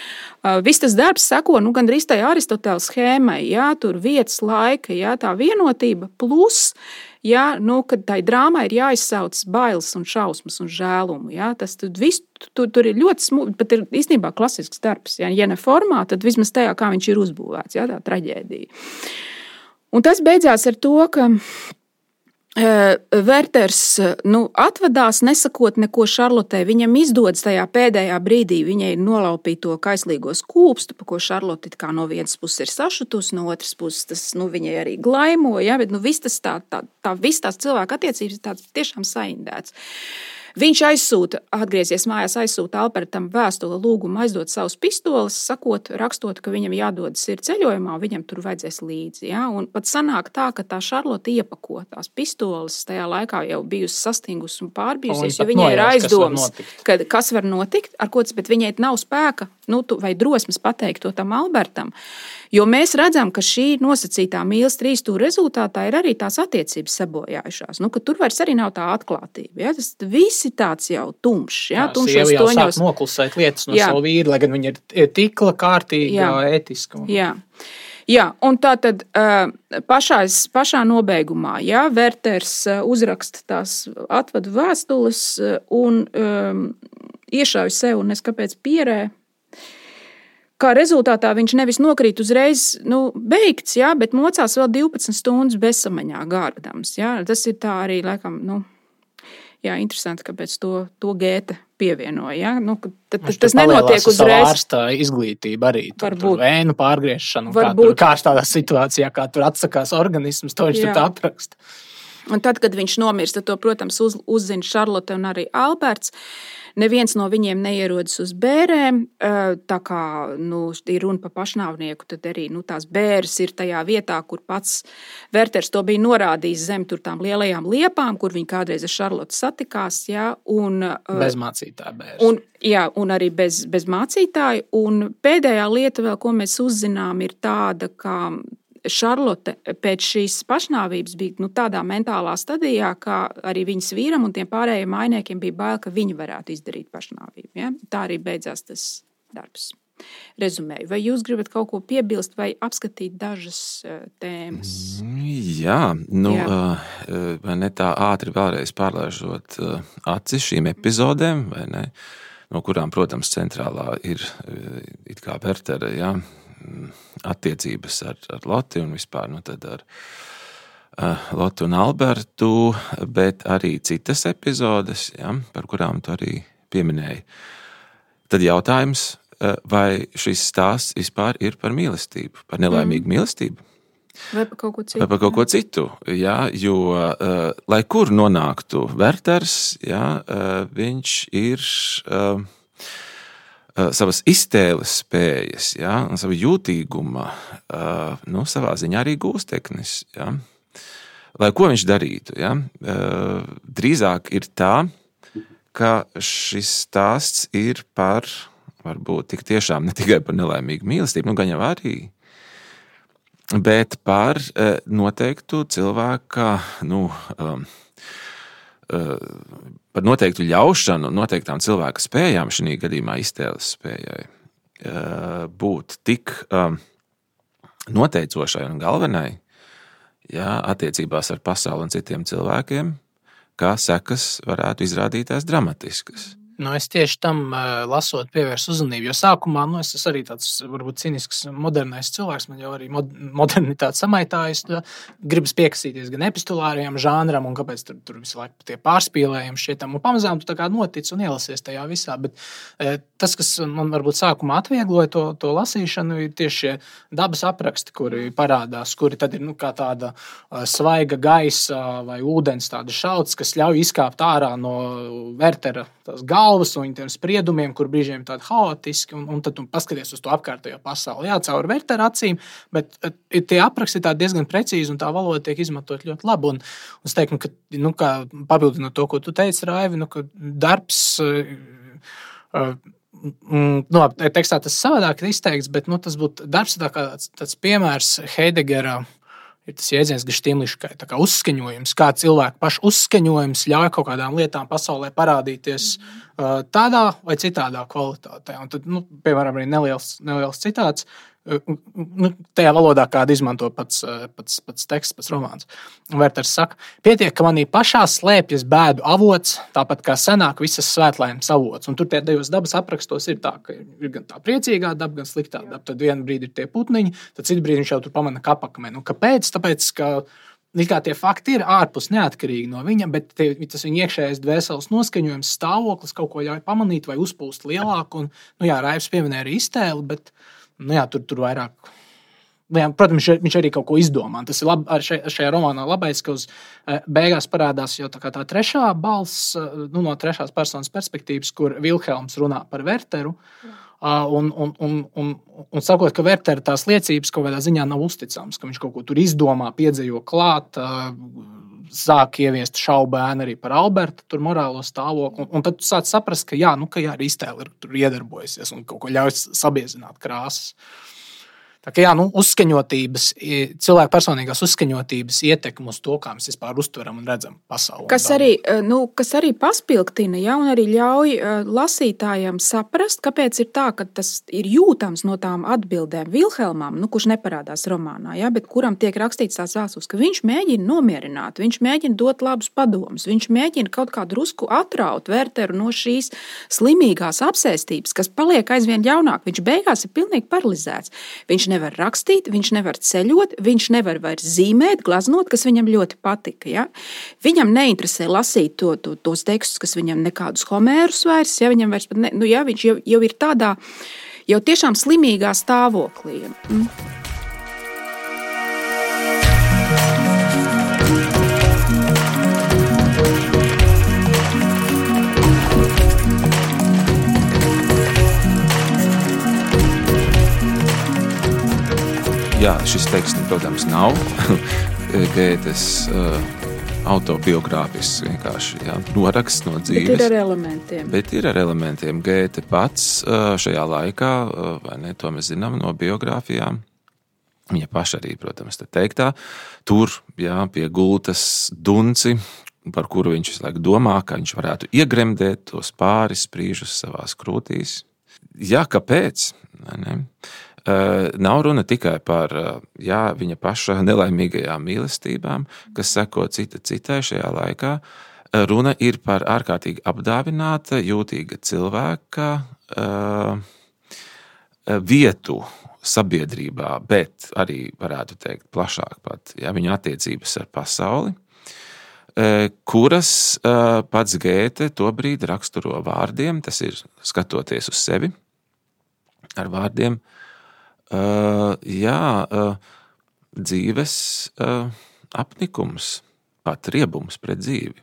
viss tas darbs seko, gandrīz tai Aristotela schēmai, ja, tur vietas, laika, ja, tā vienotība plus, ja, kad tai drāmai ir jāizsauc bailes un šausmas un žēlumu. Ja, tas tur ir ļoti smūgi, pat ir īstenībā klasisks darbs. Ja ne formā, tad vismaz tajā, kā viņš ir uzbūvēts, ja, tā traģēdija. Un tas beidzās ar to, ka Werters atvadās, nesakot neko Šarlotei. Viņam izdodas tajā pēdējā brīdī, viņai ir nolaupīt to kaislīgo skūpstu, pa ko Šarlote kā no vienas puses ir sašutusi, no otras puses tas viņai arī glaimo, ja, bet viss tas viss tās cilvēku attiecības ir tāds tiešām saindēts. Viņš atgriezies mājās, aizsūta Albertam vēstuli lūgumu aizdot savus pistoles, rakstot, ka viņam jādodas ir ceļojumā, viņam tur vajadzēs līdzi. Ja? Un pat sanāk tā, ka tā Šarlote iepako tās pistoles, tajā laikā jau bijusi sastingusi un pārbijusies, jo viņai ir aizdomas, kas var notikt, bet viņai nav spēka vai drosmes pateikt to tam Albertam. Jo mēs redzam, ka šī nosacītā mīlas 3 stūra rezultātā ir arī tās attiecības sabojājušās. Ka tur vairs arī nav tā atklātība. Ja? Tas viss ir tāds jau tumšs. Ja? Sieva jau sāk noklusēt lietas no savu vīru, lai gan viņa ir tikla, kārtīga, ētiska. Jā, un tā tad pašā nobeigumā, ja, Werters uzraksta tās atvadu vēstules un iešauj sev, un es kāpēc pierē. Kā rezultātā viņš nevis nokrīt uzreiz beigts, ja, bet mocās vēl 12 stundas bezsamaņā gārdams. Ja. Tas ir tā arī, laikam, interesanti, kāpēc to Gēte pievienoja. Ja? Nu, tas nenotiek uzreiz. Ārsta izglītība arī. Tur vēnu pārgriešanu. Kā tādā situācijā, kā tur atsakās organisms, to viņš tur apraksta. Un tad, kad viņš nomirst, tad to, protams, uzzina Šarlote un arī Alberts. Neviens no viņiem neierodas uz bērēm. Tā kā ir runa par pašnāvnieku, tad arī tās bēres ir tajā vietā, kur pats Werters to bija norādījis zem tur tām lielajām liepām, kur viņi kādreiz ar Šarlotu satikās. Ja, bez mācītāja bēres. Un arī bez mācītāja. Un pēdējā lieta vēl, ko mēs uzzinām, ir tāda, ka Šarlote pēc šīs pašnāvības bija tādā mentālā stadijā, ka arī viņas vīram un tiem pārējiem mainiekiem bija bail, ka viņi varētu izdarīt pašnāvību. Ja? Tā arī beidzās tas darbs. Rezumēju. Vai jūs gribat kaut ko piebilst vai apskatīt dažas tēmas? Jā, vai ne tā ātri vēlreiz pārlaižot aci šīm epizodēm, vai ne? No kurām, protams, centrālā ir it kā Wertera, jā, attiecības ar Loti un vispār tad ar Lotu un Albertu, bet arī citas epizodes, ja, par kurām tu arī pieminēji. Tad jautājums, vai šis stāsts vispār ir par mīlestību, par nelaimīgu mīlestību? Vai par kaut ko citu? Vai par kaut ko citu, jā, jo, lai kur nonāktu Werters, jā, viņš ir savas iztēles spējas, ja, un savu jūtīguma, savā ziņā arī gūsteknis. Ja. Lai ko viņš darītu, ja, drīzāk ir tā, ka šis stāsts ir par, varbūt tik tiešām ne tikai par nelaimīgu mīlestību, gan jau arī, bet par noteiktu cilvēka, par noteiktu ļaušanu, noteiktām cilvēka spējām, šī gadījumā iztēles spējai, būt tik noteicošai un galvenai, ja, attiecībās ar pasauli un citiem cilvēkiem, kā sekas varētu izrādīties dramatiskas. Es tieši tam lasot pievērsu uzmanību, jo sākumā es esmu arī tāds varbūt cinisks modernais cilvēks, man jau arī modernitāte samaitājas, gribas piekasīties gan epistulārajam žānram un kāpēc tur visu laiku tie pārspīlējumi šķietam, un pamazām tu tā kā notic un ielasies tajā visā, bet tas, kas man varbūt sākumā atviegloja to lasīšanu, ir tieši šie dabas apraksti, kuri parādās, kuri tad ir kā tāda svaiga gaisa vai ūdens tāda šauts, kas ļauj izkāpt ārā no Wertera tās galvas un tiem spriedumiem, kur brīžiem tādi haotiski, un tad tu paskaties uz to apkārtējo pasauli. Jā, caur Wertera acīm, bet tie apraksti tā diezgan precīzi, un tā valoda tiek izmantot ļoti labi. Un es teiktu, ka, kā papildinot to, ko tu teici, Raivi, ka darbs, tekstā tas savādāk ir izteikts, bet tas būtu darbs tāds piemērs Heidegera. Ir tas jēdziens gestīmliškai, tā kā uzskaņojums, kā cilvēku pašu uzskaņojums ļauj kaut kādām lietām pasaulē parādīties tādā vai citādā kvalitātē. Un tad, piemēram, arī neliels citāts, tajā valodā, kādu izmanto pats teksts, pats romāns. Werters saka, pietiek, ka manī pašā slēpjas bēdu avots, tāpat kā senāk visas svētlaimes avots. Un tur tie divas dabas aprakstos ir tā, ka ir gan tā priecīgā daba, gan sliktā daba. Tad vienu brīdi ir tie putniņi, tad citu brīdi viņš jau tur pamana kapakmeni. Kāpēc? Tāpēc, ka tie fakti ir ārpus neatkarīgi no viņa, bet tas viņa iekšējais dvēseles noskaņojums, stāvoklis kaut ko ļauj pamanīt vai uzpūst lielāku. Un, Raivs pieminēja arī iztēli, bet tur vairāk. Protams, viņš arī kaut ko izdomā. Tas ir šajā romānā labais, ka uz beigās parādās jau tā trešā balss, no trešās personas perspektīvas, kur Vilhelms runā par Werteru. Un sakot, ka Wertera tās liecības kaut kādā ziņā nav uzticams, ka viņš kaut ko tur izdomā, piedzīvo klāt, sāk ieviest šaubu ēnu arī par Alberta tur morālo stāvokli, un tad tu sāc saprast, ka arī iztēle ir tur iedarbojusies un kaut ko ļauj sabiezināt krāsas. Tā kā uzskaņotības, cilvēku personīgās uzskaņotības ietekme uz to, kā mēs vispār uztveram un redzam pasauli. Kas arī paspilgtina, un arī ļauj lasītājiem saprast, kāpēc ir tā, ka tas ir jūtams no tām atbildēm Vilhelmam, kurš neparādās romānā, bet kuram tiek rakstīts tās vēstules, ka viņš mēģina nomierināt, viņš mēģina dot labus padomus, viņš mēģina kaut kā drusku atraut Werteru no šīs slimīgās apsēstības, kas paliek aizvien ļaunāk. Viņš beigās ir pilnīgi paralizēts. Viņš nevar rakstīt, viņš nevar ceļot, viņš nevar vairs zīmēt, glaznot, kas viņam ļoti patika. Ja? Viņam neinteresē lasīt tos tekstus, kas viņam nekādus Homērus vairs, ja viņam vairs pat viņš jau ir tādā, jau tiešām slimīgā stāvoklī. Jā, šis teksts, protams, nav Gētes autobiogrāfisks vienkārši noraksts no dzīves. Bet ir ar elementiem. Gēte pats šajā laikā, vai ne, to mēs zinām no biogrāfijām, viņa paša arī, protams, te teiktā, tur pie gultas dunci, par kuru viņš visu laiku domā, ka viņš varētu iegremdēt tos pāris sprīžus savās krūtīs. Jā, kāpēc? Ne? Nav runa tikai par viņa paša nelaimīgajām mīlestībām, kas seko cita citai šajā laikā. Runa ir par ārkārtīgi apdāvināta, jūtīga cilvēka vietu sabiedrībā, bet arī varētu teikt plašāk pat viņa attiecības ar pasauli, kuras pats Gēte tobrīd raksturo vārdiem, tas ir skatoties uz sevi ar vārdiem, dzīves apnikums, pat riebums pret dzīvi.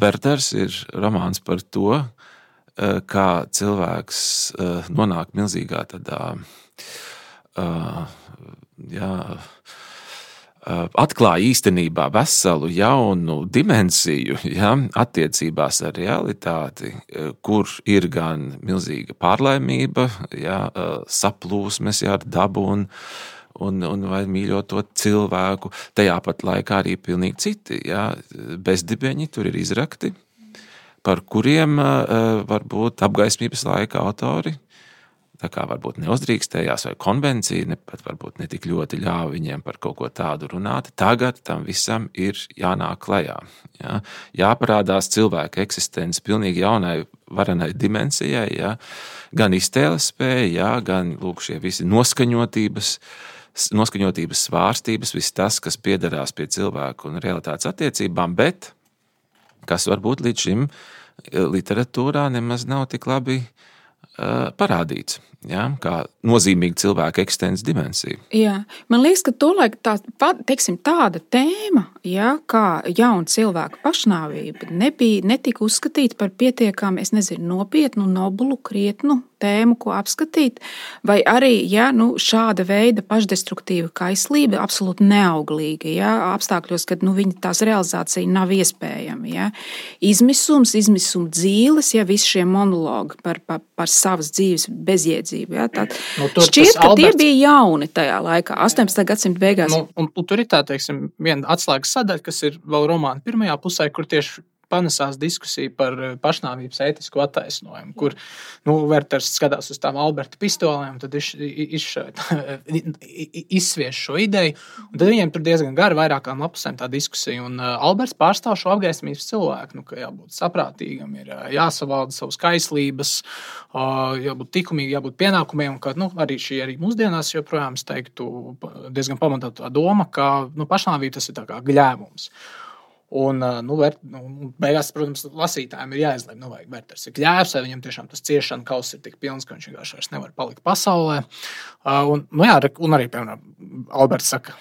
Werters ir romāns par to, kā cilvēks nonāk milzīgā tādā, atklāja īstenībā veselu jaunu dimensiju attiecībās ar realitāti, kur ir gan milzīga pārlaimība, saplūsmes ar dabu un vai mīļoto cilvēku, tajā pat laikā arī pilnīgi citi. Bezdibeņi tur ir izrakti, par kuriem varbūt apgaismības laika autori tā kā varbūt neuzdrīkstējās vai konvencija pat varbūt ne tik ļoti ļāva viņiem par kaut ko tādu runāt. Tagad tam visam ir jānāk klajā. Jāparādās cilvēka eksistence pilnīgi jaunai varenai dimensijai, gan iztēles spēja, gan lūk šie visi noskaņotības svārstības, viss tas, kas piederās pie cilvēku un realitātes attiecībām, bet kas varbūt līdz šim literatūrā nemaz nav tik labi parādīts, kā nozīmīga cilvēka eksistences dimensija. Jā, man liekas, ka tolaik tāda tēma, kā jauna cilvēka pašnāvība, netika uzskatīta par pietiekami, nopietnu, nobulu, krietnu tēmu, ko apskatīt, vai arī, šāda veida pašdestruktīva kaislība absolūti neauglīga, apstākļos, kad viņa tās realizācija nav iespējama. Izmisuma dzīles, visi šie monologi par savas dzīves bezjēdzību. Šķiet, ka tie bija jauni tajā laikā, 18. gadsimta beigās. Un tur ir tā, viena atslēgas sadaļa, kas ir vēl romāna pirmajā pusē, kur tieši panesās diskusija par pašnāvības ētisku attaisnojumu, kur Werters skatās uz tām Alberta pistolēm, tad izsvieš šo ideju, un tad viņiem tur diezgan gari vairākām lapusēm tā diskusija, un Alberts pārstāv šo apgaismības cilvēku, ka jābūt saprātīgam, ir jāsavalda savas kaislības, jābūt tikumīgi, jābūt pienākumiem, un ka arī mūsdienās joprojām es teiktu diezgan pamatotā doma, ka pašnāvība tas ir tā kā gļēvums. Un, beigās, protams, lasītājiem ir jāizlēm, vai Werters ir gļēvs, vai viņam tiešām tas ciešana kauss ir tik pilns, ka viņš vienkārši vairs nevar palikt pasaulē. Un arī, piemēram, Alberts saka,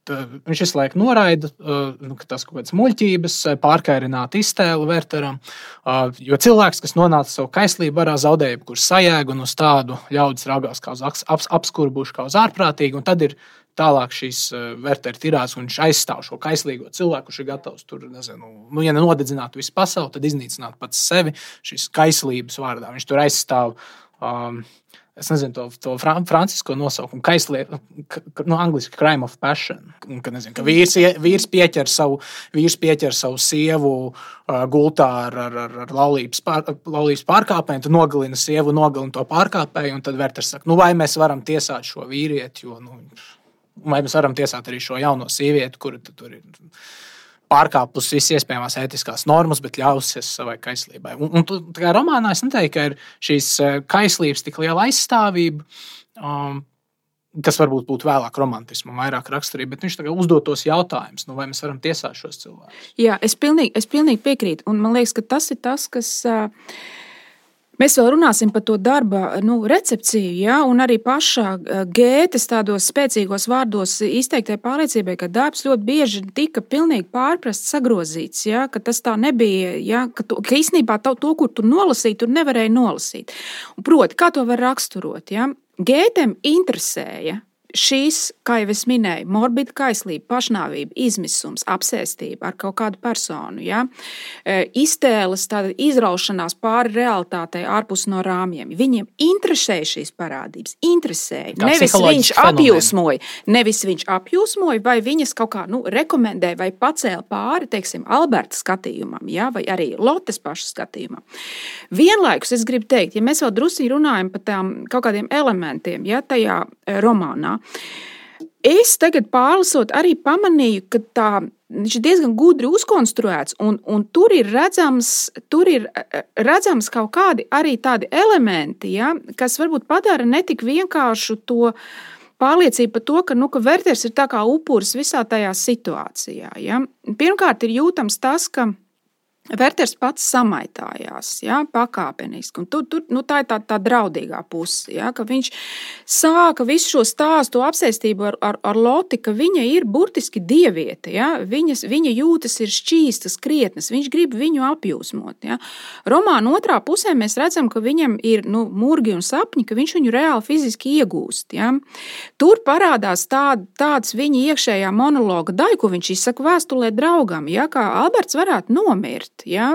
viņš visu laiku noraida, ka tas kaut kādas muļķības, pārkairināt iztēli Werteram, jo cilvēks, kas nonāca savu kaislību varā zaudēja, kur sajēg un uz tādu ļaudis raugās kā uz apskurbuši, kā uz ārprātīgi, un tad ir tālāk šīs Wertera tirādes, un viņš aizstāv šo kaislīgo cilvēku, kurš ir gatavs tur, ja nenodedzinātu visu pasauli, tad iznīcināt pats sevi šīs kaislības vārdā. Viņš tur aizstāv, to francisko nosaukumu, angliski crime of passion, ka vīrs pieķer savu sievu gultā ar laulības pārkāpēju, tad nogalina sievu, nogalina to pārkāpēju, un tad Werters saka, vai mēs varam tiesāt šo vīrieti, vai mēs varam tiesāt arī šo jauno sievieti, kura tur ir pārkāpus visas iespējamās ētiskās normas, bet ļausies savai kaislībai. Un tā kā romānā es neteiktu, ka ir šīs kaislības tik liela aizstāvība, kas varbūt būtu vēlāk romantismu, vairāk raksturība, bet viņš tagad uzdotos jautājumus, vai mēs varam tiesāt šos cilvēkus. Jā, es pilnīgi piekrītu, un man liekas, ka tas ir tas, kas... Mēs vēl runāsim par to darba recepciju, ja, un arī pašā Gētes tādos spēcīgos vārdos izteiktai pārliecībai, ka darbs ļoti bieži tika pilnīgi pārprasts, sagrozīts, ja, ka tas tā nebija, ja, ka īstenībā to, kur tu nolasīji, tur nevarēja nolasīt. Un proti, kā to var raksturot? Ja? Gētem interesēja šīs, kā jau es minēju, morbida kaislība, pašnāvība, izmisums, apsēstība ar kaut kādu personu, ja? Iztēles, tāda izraušanās pāri realitātei ārpus no rāmjiem. Viņiem interesēja šīs parādības, interesēja. Nevis viņš apjūsmoja, vai viņas kaut kā rekomendēja vai pacēla pāri, teiksim, Alberta skatījumam, ja? Vai arī Lotes paša skatījumam. Vienlaikus es gribu teikt, ja mēs vēl drusī runājam par tām kaut kādiem elementiem, ja, tajā romānā, es tagad pārlasot arī pamanīju, ka viņš ir diezgan gudri uzkonstruēts, un tur ir redzams kaut kādi arī tādi elementi, ja, kas varbūt padara netik vienkāršu to pārliecību par to, ka Werters ir tā kā upuris visā tajā situācijā. Ja. Pirmkārt ir jūtams tas, ka Werters pats samaitājās, ja, pakāpeniski, un tā ir tā draudīgā puse, ja, ka viņš sāka visu šo stāstu apsēstību ar Loti, ka viņa ir burtiski dieviete, ja, viņa jūtas ir šķīstas, krietnas, viņš grib viņu apjūsmot, ja. Romāna otrā pusē mēs redzam, ka viņam ir, murgi un sapņi, ka viņš viņu reāli fiziski iegūst, ja. Tur parādās tāds viņa iekšējā monologa daļa, ko viņš izsaka vēstulē draugam, ja, kā Alberts varētu nomirt. Ja,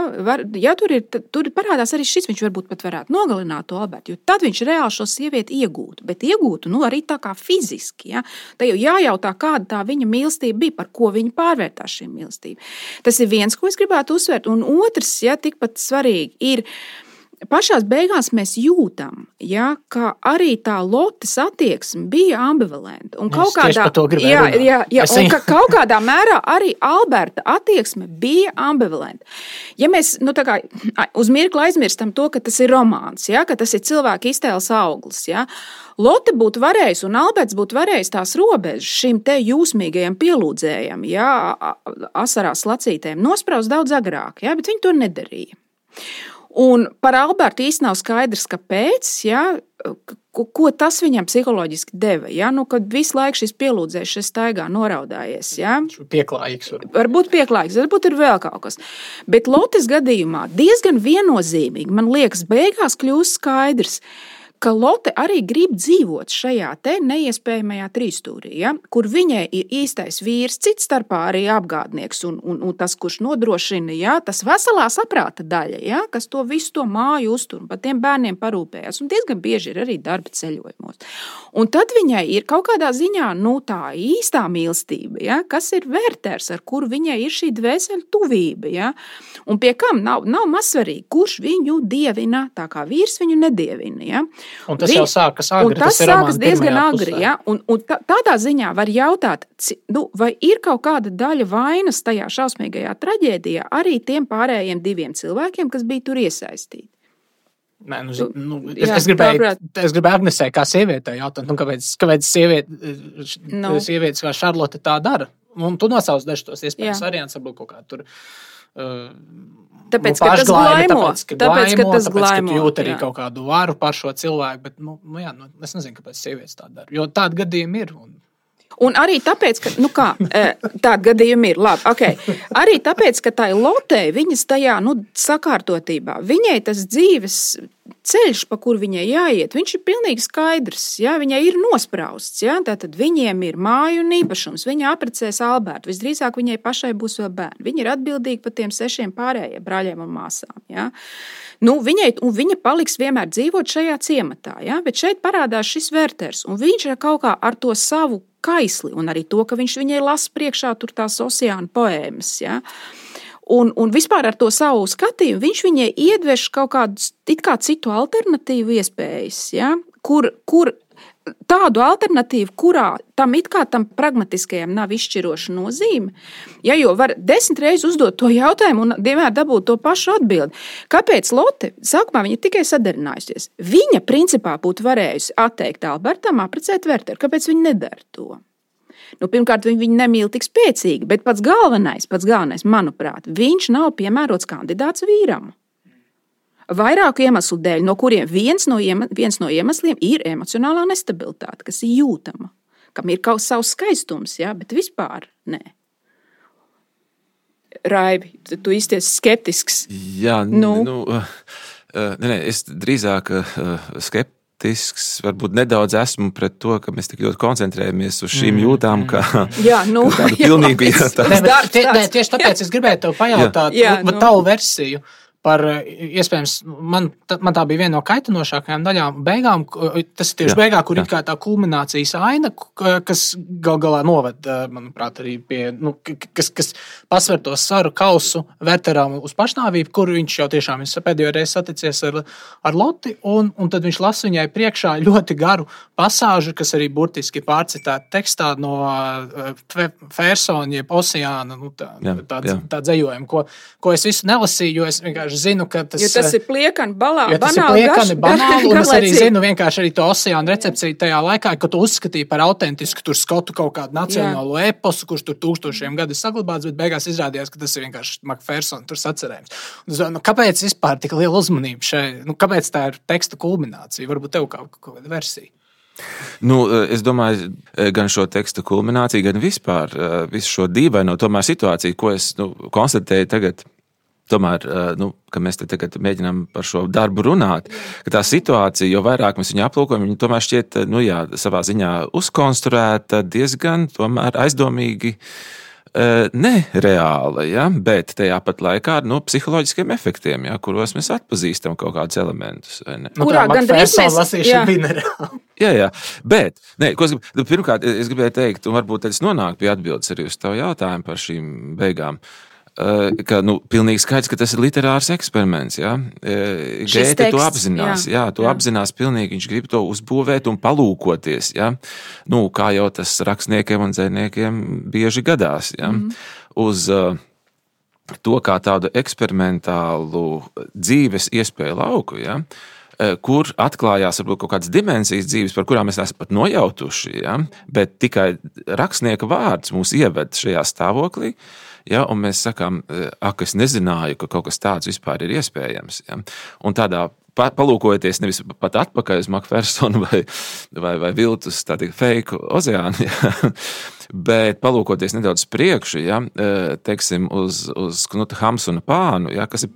tur parādās arī šis, viņš varbūt pat varētu nogalināt to Albertu, jo tad viņš reāli šo sievieti iegūtu, bet iegūtu arī tā kā fiziski. Ja. Tā jau jājautā, kāda tā viņa mīlestība bija, par ko viņa pārvērtās šī mīlestība. Tas ir viens, ko es gribētu uzsvērt, un otrs, ja, tikpat svarīgi ir, pašās beigās mēs jūtam, ja, ka arī tā Lotes attieksme bija ambivalenta. Un kaut kādā mērā arī Alberta attieksme bija ambivalenta. Ja mēs uz mirkli aizmirstam to, ka tas ir romāns, ja, ka tas ir cilvēka iztēles auglis, ja, Lote būtu varējis un Alberts būtu varējis tās robežas šim te jūsmīgajam pielūdzējam, ja, asarās lacītēm nospraust daudz agrāk, ja, bet viņi to nedarīja. Un par Albertu īsti nav skaidrs, kāpēc, ja, ko tas viņam psiholoģiski deva, ja, kad visu laiku šis pielūdzējs šis staigā noraudājies. Ja. Pieklājīgs. Varbūt pieklājīgs, varbūt ir vēl kaut kas. Bet Lotes gadījumā diezgan viennozīmīgi, man liekas, beigās kļūst skaidrs, ka Lote arī grib dzīvot šajā te neiespējamajā trīsstūrī, ja, kur viņai ir īstais vīrs, cits starpā arī apgādnieks un tas, kurš nodrošina, ja, tas veselā saprāta daļa, ja, kas to visu to māju uztur un par tiem bērniem parūpējās, un diezgan bieži ir arī darba ceļojumos. Un tad viņai ir kaut kādā ziņā, tā īstā mīlestība, ja, kas ir Werters, ar kuru viņai ir šī dvēseli tuvība, ja, un pie kam nav mazsvarīgi, kurš viņu dievina, tā kā vīrs viņu nedievina, ja. Un tas jau sākas agri. Tas sākas diezgan agri, ja? Un tādā ziņā var jautāt, vai ir kaut kāda daļa vainas tajā šausmīgajā traģēdijā arī tiem pārējiem diviem cilvēkiem, kas bija tur iesaistīti. Nē, es gribēju Agnesē kā sievietē jautāt, kāpēc sievietes kā Šarlote tā dara? Un tu nosauc dažus tos iespējams variants, varbūt kaut kā tur... Tāpēc, ka tas glaimo. Tāpēc, ka tu jūt arī kaut kādu varu par šo cilvēku, bet, es nezinu, kāpēc sievietes tā dara, jo tādi gadījumi ir. Un arī tāpēc, ka, tādi gadījumi ir, labi, ok, arī tāpēc, ka tai Lotei, viņas tajā, sakārtotībā, viņai tas dzīves ceļš, pa kur viņai jāiet, viņš ir pilnīgi skaidrs, ja, viņai ir nosprausts, ja, tātad viņiem ir māju un īpašums, viņa apprecēs Albertu, visdrīzāk viņai pašai būs vēl bērni, viņa ir atbildīga par tiem 6 pārējiem brāļiem un māsām, ja. Viņa paliks vienmēr dzīvot šajā ciematā, ja, bet šeit parādās šis Werters, un viņš ir kaut kā ar to savu kaisli, un arī to, ka viņš viņai lasa priekšā tur tās oceāna poēmas, ja. Un vispār ar to savu skatījumu viņš viņai iedveš kaut kādu it kā citu alternatīvu iespējas, ja? kur tādu alternatīvu, kurā tam pragmatiskajam nav izšķiroša nozīme. Ja, jo var 10 reizes uzdot to jautājumu un vienmēr dabūt to pašu atbildi. Kāpēc Lotte? Sākumā viņa tikai sadarinājusies. Viņa principā būtu varējusi atteikt Albertam, apprecēt Werteru. Kāpēc viņa nedara to? Pirmkārt, viņa nemīl tik spēcīgi, bet pats galvenais, manuprāt, viņš nav piemērots kandidāts vīram. Vairāku iemeslu dēļ, no kuriem viens no iemesliem ir emocionālā nestabilitāte, kas ir jūtama, kam ir kaut savs skaistums, ja, bet vispār nē. Raivi, tu izties skeptisks. Jā, es drīzāk skeptisks, varbūt nedaudz esmu pret to, ka mēs tik ļoti koncentrējamies uz šīm jūtām, ka tādu pilnīgu Tieši tāpēc es gribēju tev pajautāt tavu versiju. Par, iespējams, man tā bija viena no kaitinošākajām daļām beigām, tas ir tieši beigā, kur ir kā tā kulminācijas aina, kas galā noved, manuprāt, arī pie, kas pasver to saru kausu Werteram uz pašnāvību, kur viņš jau tiešām pēdējo reizi saticies ar Loti, un tad viņš lasa viņai priekšā ļoti garu pasāžu, kas arī burtiski pārcitēta tekstā no Fersona, jeb Oceāna, tā dzejojuma, ko es visu nelasīju, jo es vienkārši zinu, ka tas ir pliekani, banāli, un es arī zinu vienkārši arī to Oceāna recepciju tajā laikā, ka tu uzskatīji par autentisku tur skotu kaut kādu nacionālo eposu, kurš tur 1000 gadu saglabāts, bet beigās izrādījās, ka tas ir vienkārši Macphersona tur sacerējums. Kāpēc vispār tik liela uzmanība šai? Kāpēc tā ir teksta kulminācija? Varbūt tev kaut kāda versija? Es domāju, gan šo tekstu kulmināciju, gan vispār visu šo dīvaino tomēr situāciju, ko es konstatēju tagad. Tomēr, ka mēs te tagad mēģinām par šo darbu runāt, ka tā situācija, jo vairāk mēs viņu aplūkojam, viņa tomēr šķiet, savā ziņā uzkonstruēta diezgan tomēr aizdomīgi nereāla, ja? Bet tajā pat laikā ar psiholoģiskiem efektiem, ja? Kuros mēs atpazīstam kaut kādus elementus. Kurā gandrīz mēs lasīšana bija nereāla. Jā, bet, pirmkārt, es gribēju teikt, un varbūt es nonāku pie atbildes arī uz tavu jautājumu par šīm beigām. Ka, pilnīgi skaidrs, ka tas ir literārs eksperiments, ja? Gēte to apzinās, apzinās pilnīgi, viņš grib to uzbūvēt un palūkoties, ja? Kā jau tas rakstniekiem un dzejniekiem bieži gadās, ja? Uz to kā tādu eksperimentālu dzīves iespēju lauku, ja? Kur atklājās varbūt kaut kādas dimensijas dzīves, par kurām mēs esam pat nojautuši, ja? Bet tikai rakstnieka vārds mūs ieved šajā stāvoklī. Ja, un mēs sakām, es nezināju, ka kaut kas tāds vispār ir iespējams. Ja. Un tādā palūkojoties nevis pat atpakaļ uz Macphersonu vai viltus tādu fake Oceānu, ja, bet palūkoties nedaudz priekšu, ja, teiksim, uz Knuta Hamsuna pānu, ja, kas ir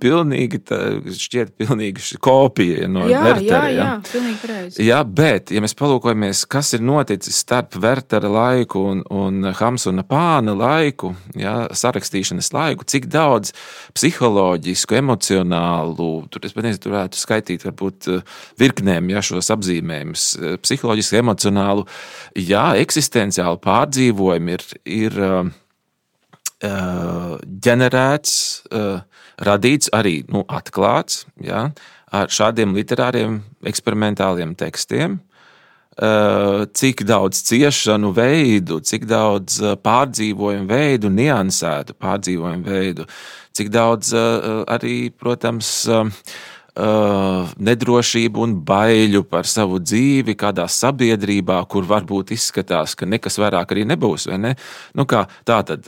šķiet pilnīgi kopija no Wertera. Jā, pilnīgi pareizi. Ja, bet, ja mēs palūkojamies, kas ir noticis starp Wertera laiku un Hamsuna pāna laiku, ja, sarakstīšanas laiku, cik daudz psiholoģisku, emocionālu, tur varētu skaitīt varbūt virknēm, ja, šos apzīmējumus, psiholoģiski, emocionālu, eksistenciālu pārdzīvojumu ir ģenerēts, radīts arī, atklāts, ja, ar šādiem literāriem eksperimentāliem tekstiem, cik daudz ciešanu veidu, cik daudz pārdzīvojumu veidu, niansētu pārdzīvojumu veidu, cik daudz arī, protams, nedrošību un baiļu par savu dzīvi kādā sabiedrībā, kur varbūt izskatās, ka nekas vairāk arī nebūs, vai ne? Kā tā tad,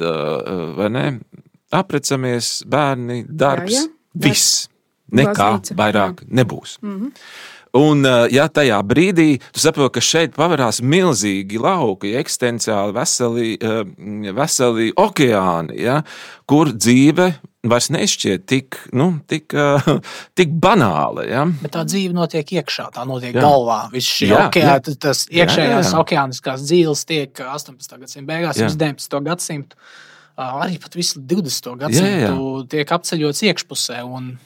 vai ne? Aprecamies, bērni, darbs, viss. Nekā vairāk nebūs. Un, ja tajā brīdī tu saproti, ka šeit pavarās milzīgi lauki, eksistenciāli veseli okeāni, ja, kur dzīve vairs nešķiet tik banāla. Ja? Bet tā dzīve notiek iekšā, tā notiek galvā. Viss šī okeāna, tas iekšējās okeāniskās dzīves tiek 18. gadsimta beigās, 19. gadsimtu, arī pat visu 20. gadsimtu tiek apceļots iekšpusē un...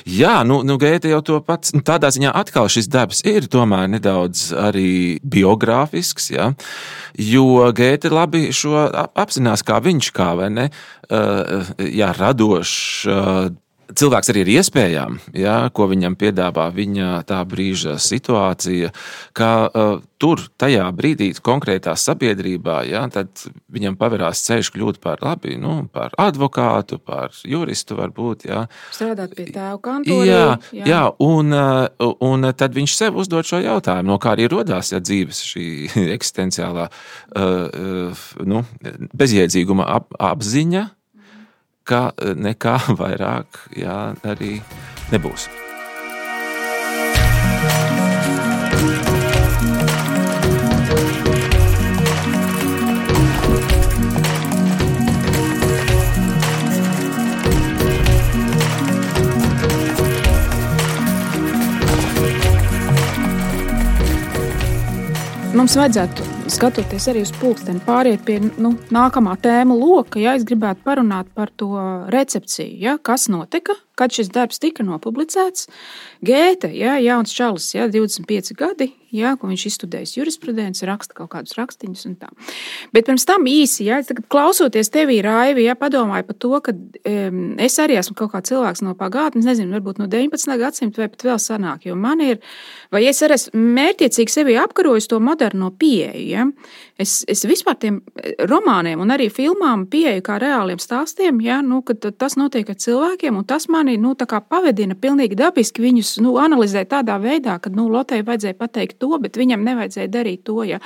Jā, Gēte jau to pats, tādā ziņā atkal šis darbs ir tomēr nedaudz arī biogrāfisks, ja? Jo Gēte labi šo apzinās, kā viņš, vai ne, radošs, cilvēks arī ar iespējām, ja, ko viņam piedāvā viņa tā brīža situācija, ka tur tajā brīdī konkrētā sabiedrībā, ja, tad viņam paverās ceļš kļūt par labi, par advokātu, par juristu varbūt. Ja. Strādāt pie tēva kantora. Jā, un tad viņš sev uzdod šo jautājumu, no kā arī rodās dzīves šī eksistenciālā bezjēdzīguma apziņa, ka nekā vairāk arī nebūs. Mums vajadzētu, skatoties arī uz pulksteni, pāriet pie nākamā tēma loka. Ja, es gribētu parunāt par to recepciju, ja, kas notika, kad šis darbs tika nopublicēts. Gēte, ja, jauns čalis, ja, 25 gadi, ja, ko viņš izstudējis jurisprudenci, raksta kaut kādus rakstiņus un tā. Bet pirms tam īsi, ja, tagad klausoties tevī, Raivi, ja, padomāju par to, ka es arī esmu kaut kā cilvēks no pagātnes, nezinu, varbūt no 19. gadsimta vai pat vēl sanāk, jo man ir, vai es arī esmu mērķiecīgi sevi apkarojis to moderno pieeju, ja. Es vispār tiem romāniem un arī filmām pieeju kā reāliem stāstiem, ja, kad tas notiek ar cilvēkiem, un tas mani tā kā pavedina pilnīgi dabiski viņus analizēt tādā veidā, ka Lotei vajadzēja pateikt to, bet viņam nevajadzēja darīt to. Ja.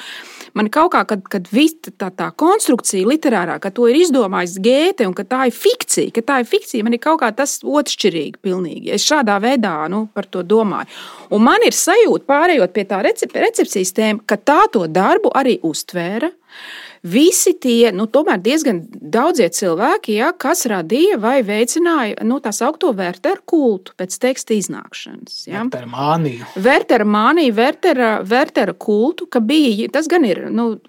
Man kaut kā, kad tā konstrukcija literārā, ka to ir izdomājis Gēte un ka tā ir fikcija, man ir kaut kā tas otršķirīgi pilnīgi. Es šādā veidā par to domāju. Un man ir sajūta, pārējot pie tā recepcijas tēma, ka tā to darbu arī uztvēra. Visi tie, tomēr diezgan daudzie cilvēki, ja, kas radīja vai veicināja tā saukto Wertera kultu pēc teksta iznākšanas. Ja. Wertera māniju, Wertera kultu, ka bija, tas gan ir,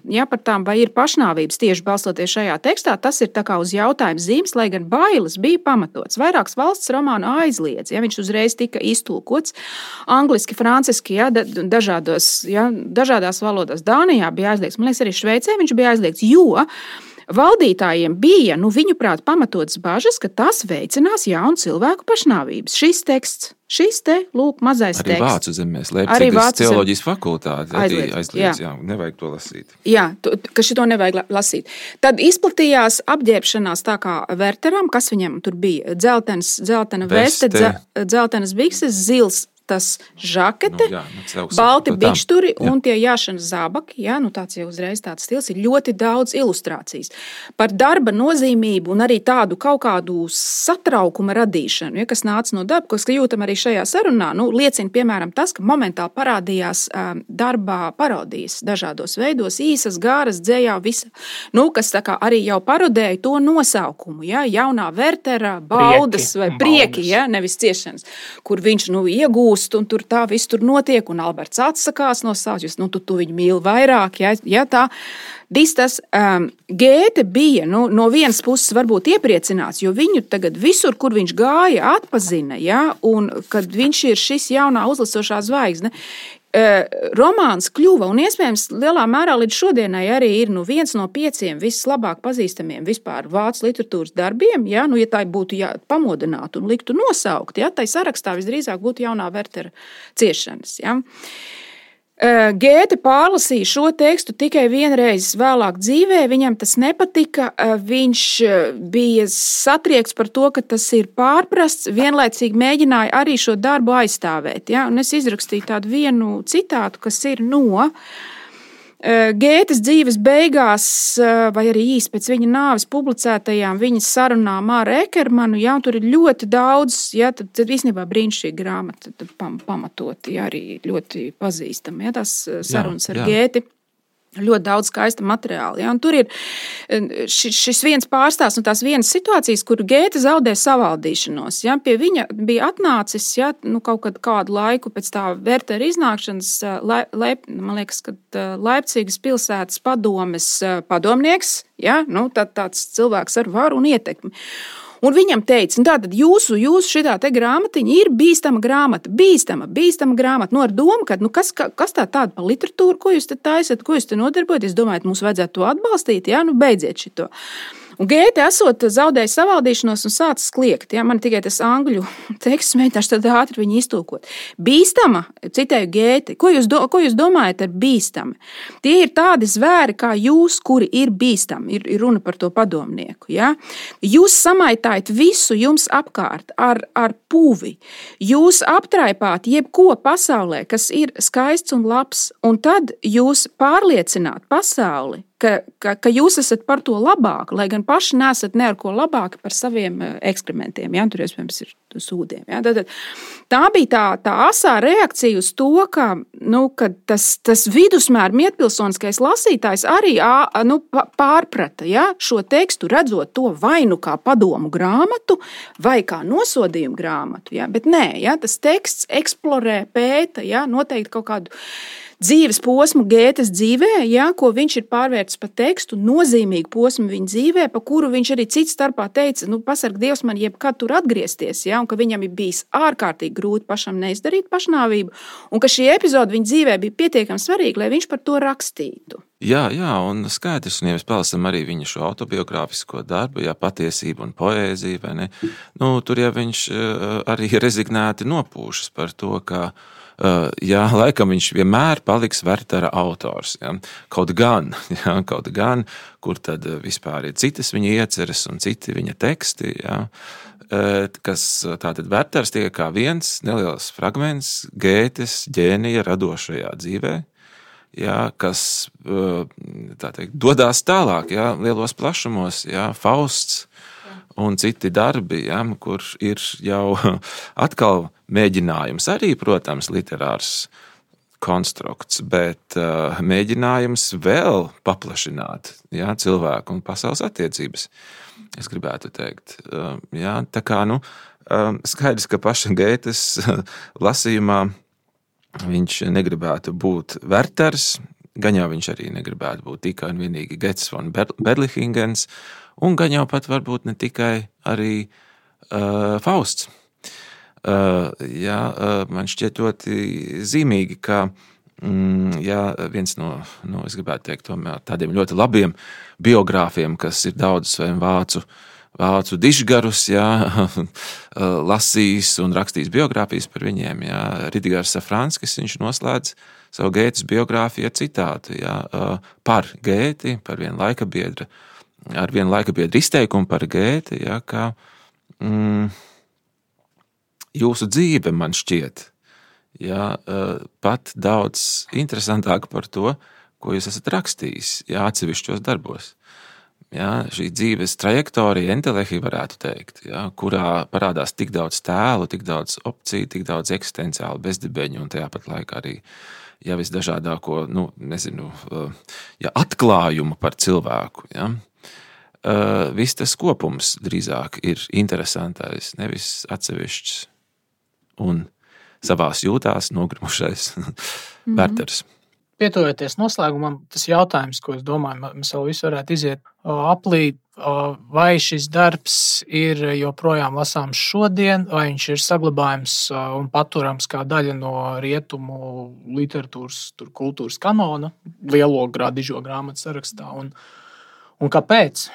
ja par tām vai ir pašnāvības tieši balstoties šajā tekstā, tas ir tā kā uz jautājumu zīmes, lai gan bailes bija pamatots. Vairākas valsts romānu aizliedz, ja, viņš uzreiz tika iztulkots angliski, franciski, ja, dažādās valodās. Dānijā bija aizliegts, man liekas, arī Šveicē viņš bija aizliegts, jo valdītājiem bija, viņuprāt, pamatotas bažas, ka tas veicinās jaunu cilvēku pašnāvības. Šis teksts, lūk, mazais arī teksts. Arī Vācu zemēs, Leipzigas teoloģijas fakultāte arī aizliedz, jā, nevajag to lasīt. Jā, ka šito nevajag lasīt. Tad izplatījās apģērbšanās tā kā Werteram, kas viņam tur bija, dzeltena veste, dzeltenas bikses, zils tas žakete, balti bikšturi un tie jāšanas zābaki, ja, tāds jau uzreiz tāds stils, ir ļoti daudz ilustrācijas. Par darba nozīmību un arī tādu kaut kādu satraukuma radīšanu, ja, kas nāca no darba, kas jūtam arī šajā sarunā, liecina, piemēram, tas, ka momentāli parādījās darbā parodijas dažādos veidos, īsas, gāras, dzējā, visa, kas tā kā arī jau parodēja to nosaukumu, ja, jaunā Wertera, baudas vai prieki, ja, nevis ciešanas, kur viņš, iegūst, un tur tā viss tur notiek, un Alberts atsakās no savas, tu viņu mīli vairāk, ja tā. Tas Gēte bija, no vienas puses varbūt iepriecināts, jo viņu tagad visur, kur viņš gāja, atpazina, ja, un kad viņš ir šis jaunā uzlasošā zvaigzne, romāns kļuva, un iespējams lielā mērā līdz šodienai arī ir viens no 5 vislabāk pazīstamiem vispār vācu literatūras darbiem, ja tā būtu pamodināta un liktu nosaukt, ja, tai sarakstā visdrīzāk būtu jaunā Wertera ciešanas. Ja. Gēte pārlasīja šo tekstu tikai vienreiz vēlāk dzīvē, viņam tas nepatika, viņš bija satriekts par to, ka tas ir pārprasts, vienlaicīgi mēģināja arī šo darbu aizstāvēt. Ja? Un es izrakstīju tādu vienu citātu, kas ir no Gētes dzīves beigās, vai arī īsi pēc viņa nāves publicētajām viņas sarunām ar Ekermanu, ja, tur ir ļoti daudz, ja, tad īstenībā brīnišķīga grāmata pamatoti, ja, arī ļoti pazīstama, ja, tās sarunas ar Gēti. Ļoti daudz skaista materiāla. Ja? Un tur ir šis viens pārstāsts un tās vienas situācijas, kur Gēte zaudē savaldīšanos. Ja? Pie viņa bija atnācis kaut kādu laiku pēc tā Wertera iznākšanas, man liekas, ka Leipzigas pilsētas padomes padomnieks, ja? Tāds cilvēks ar varu un ietekmi. Un viņam teica, tātad jūsu šitā te grāmatiņa ir bīstama grāmata, bīstama grāmata, ar domu, ka, kas tāda par literatūru, ko jūs te taisat, ko jūs te nodarbojaties, domājat, mums vajadzētu to atbalstīt, jā, beidziet šito. Un Gēte esot zaudējis savaldīšanos un sācis kliegt. Ja? Man tikai tas angļu teksts mēģināšu tad ātri viņu iztulkot. Bīstama, citēju Gēti, ko jūs domājat ar bīstami? Tie ir tādi zvēri kā jūs, kuri ir bīstami, ir runa par to padomnieku. Ja? Jūs samaitājat visu jums apkārt ar pūvi. Jūs aptraipāt jebko pasaulē, kas ir skaists un labs, un tad jūs pārliecināt pasauli, ka jūs esat par to labāk, lai gan paši nesat ne ar ko labāki par saviem ekskrementiem. Ja? Tur, iespējams, ir sūdiem. Ja? Tā bija tā asā reakcija uz to, ka tas vidusmēra mietpilsoniskais lasītājs arī pārprata šo tekstu, redzot to vai nu kā padomu grāmatu, vai kā nosodījumu grāmatu. Ja? Bet nē, tas teksts eksplorē, pēta, noteikti kaut kādu dzīves posmu Gētes dzīvē, ko viņš ir pārvērtis par tekstu, nozīmīgu posmu viņa dzīvē, pa kuru viņš arī cits starpā teica, pasarg Dievs man jebkad tur atgriezties, un ka viņam ir bijis ārkārtīgi grūti pašam neizdarīt pašnāvību, un ka šī epizode viņa dzīvē bija pietiekami svarīga, lai viņš par to rakstītu. Jā, un skaidrs, un ja mēs palasam arī viņa šo autobiogrāfisko darbu, patiesība un poēzija, vai ne? Tur jau viņš arī rezignēti nopūšas par to, ka laikam viņš vienmēr paliks Wertera autors. Ja? Kaut gan, kur tad vispār ir citas viņa ieceres un citi viņa teksti, kas tātad Werters tiek kā viens neliels fragments Gētes ģēnija radošajā dzīvē, kas dodās tālāk, lielos plašumos, Fausts un citi darbi, kur ir jau atkal mēģinājums, arī, protams, literārs konstrukts, bet mēģinājums vēl paplašināt cilvēku un pasaules attiecības, es gribētu teikt. Tā kā, skaidrs, ka paša Gētes lasījumā viņš negribētu būt Werters, gan jau viņš arī negribētu būt tikai un vienīgi Gets von Berlichingen, un gan jau pat varbūt ne tikai arī Fausts. Man šķiet ļoti zīmīgi, ka viens no, es gribētu teikt, tomēr tādiem ļoti labiem biogrāfiem, kas ir daudz saviem vācu dižgarus, lasījis un rakstījis biogrāfijas par viņiem, Ridigars Safranskis, viņš noslēdz savu Gētes biogrāfiju ar citātu, par Gēti, par vienu laikabiedru, ar vienu laikabiedru izteikumu par Gēti, ka jūsu dzīve man šķiet, pat daudz interesantāk par to, ko jūs esat rakstījis, atsevišķos darbos. Šī dzīves trajektorija, entelehi varētu teikt, kurā parādās tik daudz tēlu, tik daudz opciju, tik daudz eksistenciālu bezdibeņu un tajā pat laikā arī visdažādāko, atklājumu par cilvēku. Viss tas kopums drīzāk ir interesantais, nevis atsevišķs un savās jūtās nogrimušais Werters. Pietuvoties noslēgumam, tas jautājums, ko es domāju, mēs vēl visu varētu iziet aplī, vai šis darbs ir joprojām lasāms šodien, vai viņš ir saglabājams un paturams kā daļa no rietumu literatūras, kultūras kanona, lielo dižo grāmatu sarakstā, un kāpēc?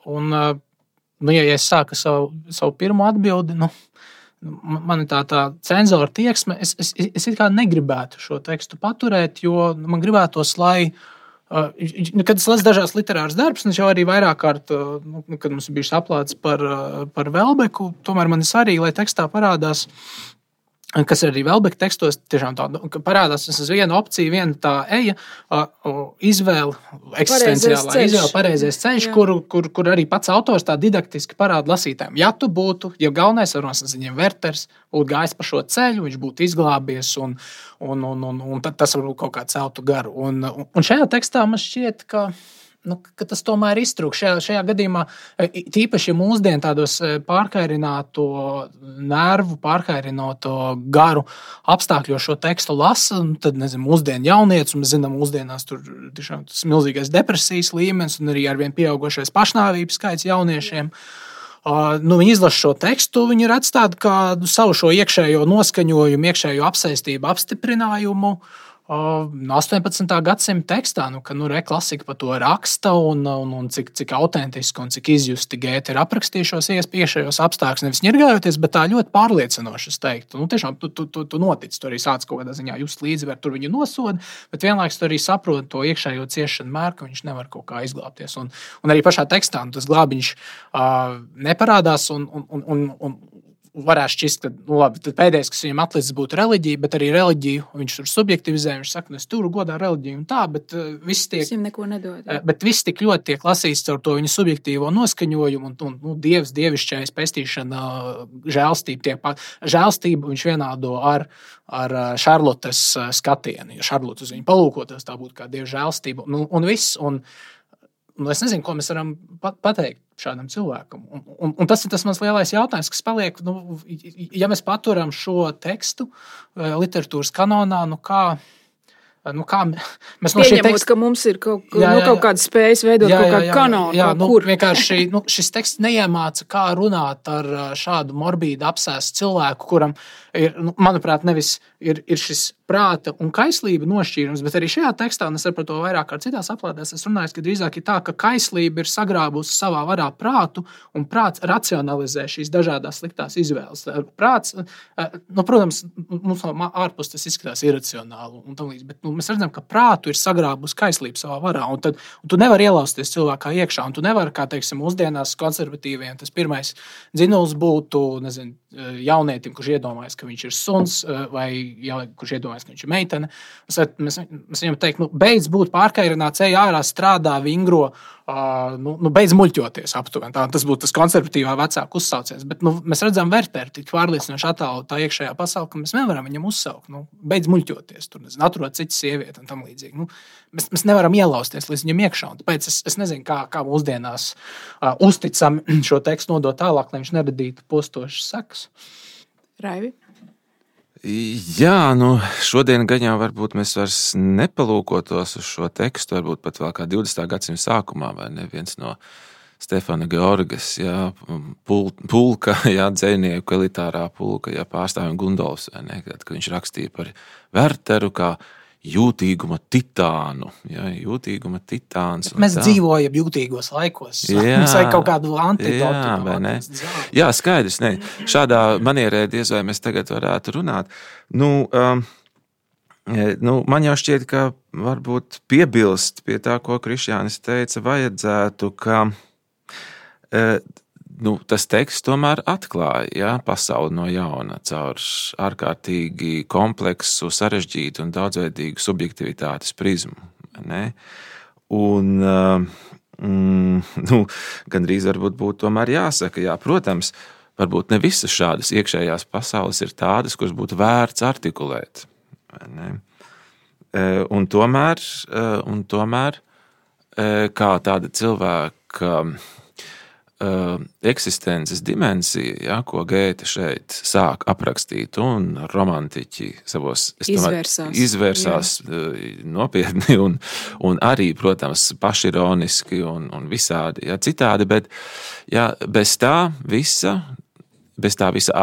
Un, ja es sāku savu pirmo atbildi, man ir tā cenzora tieksme, es it kā negribētu šo tekstu paturēt, jo man gribētos, lai, kad es lasu dažās literāras darbus, es jau arī vairāk kārt, kad mums bija aplāts par Velbeku, tomēr man ir svarīgi, lai tekstā parādās, kas arī Velbeka tekstos tiešām tā, parādās uz vienu opciju, viena tā eja, izvēle, eksistenciālā izvēle, pareizais ceļš, kur arī pats autors tā didaktiski parāda lasītājiem. Ja tu būtu, ja galvenais ar nosacījumiem Werters būtu gājis pa šo ceļu, viņš būtu izglābies un tad tas varbūt kaut kā celtu garu. Un šajā tekstā man šķiet, ka tas tomēr iztrūk. Šajā gadījumā, tīpaši mūsdien tādos pārkairināto nervu, pārkairināto garu apstākļos šo tekstu lasa, tad, mūsdienu jaunietis, un mēs zinām, mūsdienās tur tiešām tas milzīgais depresijas līmenis un arī arvien pieaugošais pašnāvības skaits jauniešiem. Viņi izlasa šo tekstu, viņi redz tādu kā savu šo iekšējo noskaņojumu, iekšējo apsaistību, apstiprinājumu, 18. gadsimta tekstā, ka klasika par to raksta un cik autentiski un cik izjusti Gēte ir aprakstījušos iekšējos apstākļus, nevis ņirgājoties, bet tā ļoti pārliecinoši, es teiktu. Tiešām tu notici, tu arī sāc kaut kādā ziņā just līdzvērt, tur viņu nosoda, bet vienlaikus tu arī saproti to iekšējo ciešanu mēru, ka viņš nevar kaut kā izglābties. Un arī pašā tekstā tas glābiņš neparādās un varētu šķist, ka labi, pēdējais, kas viņam atlicis, būtu reliģija, bet arī reliģiju viņš tur subjektivizē. Viņš saka, es turu godā reliģiju un tā, bet viss neko nedod. Bet viss tik ļoti tiek lasīts caur to viņa subjektīvo noskaņojumu un dievs, dievišķais, pestīšana, žēlstība. Žēlstību viņš vienādo ar Šarlotes skatienu. Ja Šarlote uz viņu palūkotos, tā būtu kā dieva žēlstība un viss. Un es nezinu, ko mēs varam pateikt šādam cilvēkam. Un tas ir tas mans lielais jautājums, kas paliek, ja mēs paturam šo tekstu literatūras kanonā, kā mēs no šī teksta... ka mums ir kaut kāda spējas veidot kaut kādu kanonu. Vienkārši šis teksts neiemāca, kā runāt ar šādu morbīdu apsēstu cilvēku, kuram ir, manuprāt, nevis ir šis prāta un kaislība nošķīrums, bet arī šajā tekstā, un es par to vairāk kā citās aplādēs, es runāju, ka drīzāk ir tā, ka kaislība ir sagrābusi savā varā prātu, un prāts racionalizē šīs dažādās sliktās izvēles. Prāts, protams, mums no ārpus tas izskatās iracionāli un tam līdz, bet mēs redzam, ka prātu ir sagrābusi kaislība savā varā, un tu nevari ielausties cilvēkā iekšā, un tu nevari, kā teiksim, mūsdienās konservatīviem, tas pirmais dzinuls būtu, nezinu, jaunietim, kurš iedomājas, ka viņš ir suns, vai kurš iedomājas, ka viņš ir meitene. Mēs viņam teikt, beidz būt pārkairināts, ej ārā, strādā, vingro, beidz muļķoties aptuveni. Tas būtu tas konservatīvā vecāku uzsauciens. Bet mēs redzam Werteru tik pārliecinoši attālu tā iekšējā pasaule, ka mēs nevaram viņam uzsaukt. Beidz muļķoties, tur atrod citu sievieti un tam līdzīgi. Mēs nevaram ielausties līdz viņam iekšā. Un tāpēc es nezinu, kā mūsdienās uzticam šo tekstu nodot tālāk, lai viņš neradītu postošas sekas. Raivi? Jā, šodien gan jau varbūt mēs vairs nepalūkotos uz šo tekstu, varbūt pat vēl kā 20. gadsimta sākumā, vai ne, viens no Stefana Georgas, pulka, dzejnieku, elitārā pulka, pārstāvjiem Gundolfs, vai ne, kad viņš rakstīja par Werteru kā jūtīguma titānu. Jūtīguma titāns. Mēs dzīvojam jūtīgos laikos. Mums vajag kaut kādu antidotu. Jā, skaidrs. Ne. Šādā manierē diez vai mēs tagad varētu runāt. Man jau šķiet, ka varbūt piebilst pie tā, ko Krišjānis teica, vajadzētu, ka tas teksts tomēr atklāja pasauli no jauna caur ārkārtīgi kompleksu, sarežģītu un daudzveidīgu subjektivitātes prizmu. Ne? Un gandrīz varbūt būtu tomēr jāsaka, protams, varbūt ne visas šādas iekšējās pasaules ir tādas, kuras būtu vērts artikulēt. Ne? Un tomēr kā tāda cilvēka eksistences dimensija, ko Gēte šeit sāk aprakstīt, un romantiķi savos izvērsās nopietni un arī, protams, pašironiski un visādi citādi, bet bez tā visa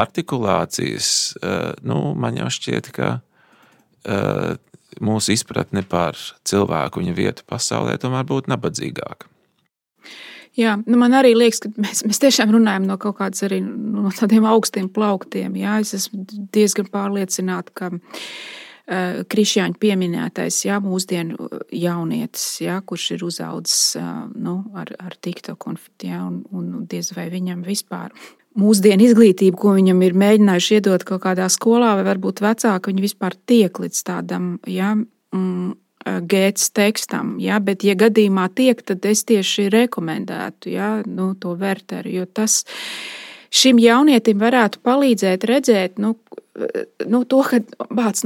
artikulācijas, man jau šķiet, ka mūsu izpratne par cilvēku, viņa vietu pasaulē tomēr būtu nabadzīgāka. Jā, man arī liekas, ka mēs tiešām runājam no kaut kādas arī no tādiem augstiem plauktiem. Jā. Es esmu diezgan pārliecināta, ka Krišjāņa pieminētais mūsdienu jaunietis, kurš ir uzaudzis ar TikTok un diez vai viņam vispār mūsdienu izglītību, ko viņam ir mēģinājuši iedot kaut kādā skolā, vai varbūt vecāki, viņi vispār tiek līdz tādam, Gētes tekstam, bet, ja gadījumā tiek, tad es tieši rekomendētu to Werteru, jo tas šim jaunietim varētu palīdzēt redzēt, to, ka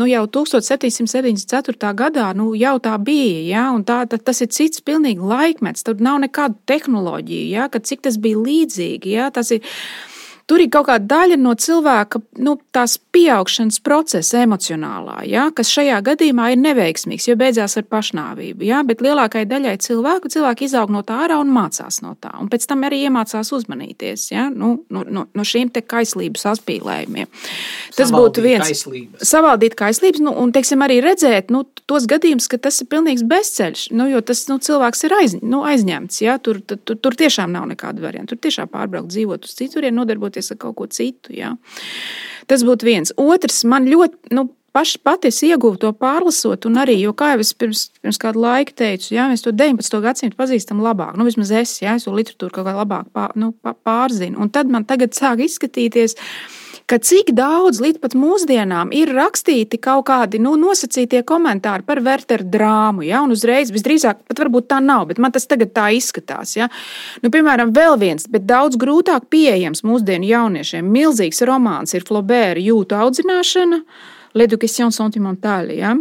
jau 1774. gadā jau tā bija, un tas ir cits pilnīgi laikmets, tur nav nekādu tehnoloģiju, ka cik tas bija līdzīgi, tas ir. tur ir kaut kāda daļa no cilvēka, tās pieaugšanas procesa emocionālā, ja, kas šajā gadījumā ir neveiksmīgs, jo beidzās ar pašnāvību. Ja, bet lielākai daļai cilvēki izaug no tā ārā un mācās no tā. Un pēc tam arī iemācās uzmanīties, ja, no šīm te kaislību saspīlējumiem. Tas būtu viens. Savaldīt kaislības, un, teiksim, arī redzēt, tos gadījumus, ka tas ir pilnīgs bezceļš, jo tas, cilvēks ir aizņemts, ja, tur tiešām nav nekāda varianta. Tur tiešām pārbraukt, dzīvot uz citurien, nodarboties ar kaut ko citu, ja. Tas būtu viens. Otrs, man ļoti, pati es ieguvu to pārlasot, un arī, jo kā jau es pirms kādu laiku teicu, ja, mēs to 19. gadsimtu pazīstam labāk, vismaz es to literatūru kaut kā labāk pārzinu, un tad man tagad sāk izskatīties, ka cik daudz līdz pat mūsdienām ir rakstīti kaut kādi nosacītie komentāri par Wertera drāmu, ja, un uzreiz visdrīzāk, pat varbūt tā nav, bet man tas tagad tā izskatās, ja. Piemēram, vēl viens, bet daudz grūtāk pieejams mūsdienu jauniešiem, milzīgs romāns ir Flaubert jūtu audzināšana, L'éducation sentimentale, ja,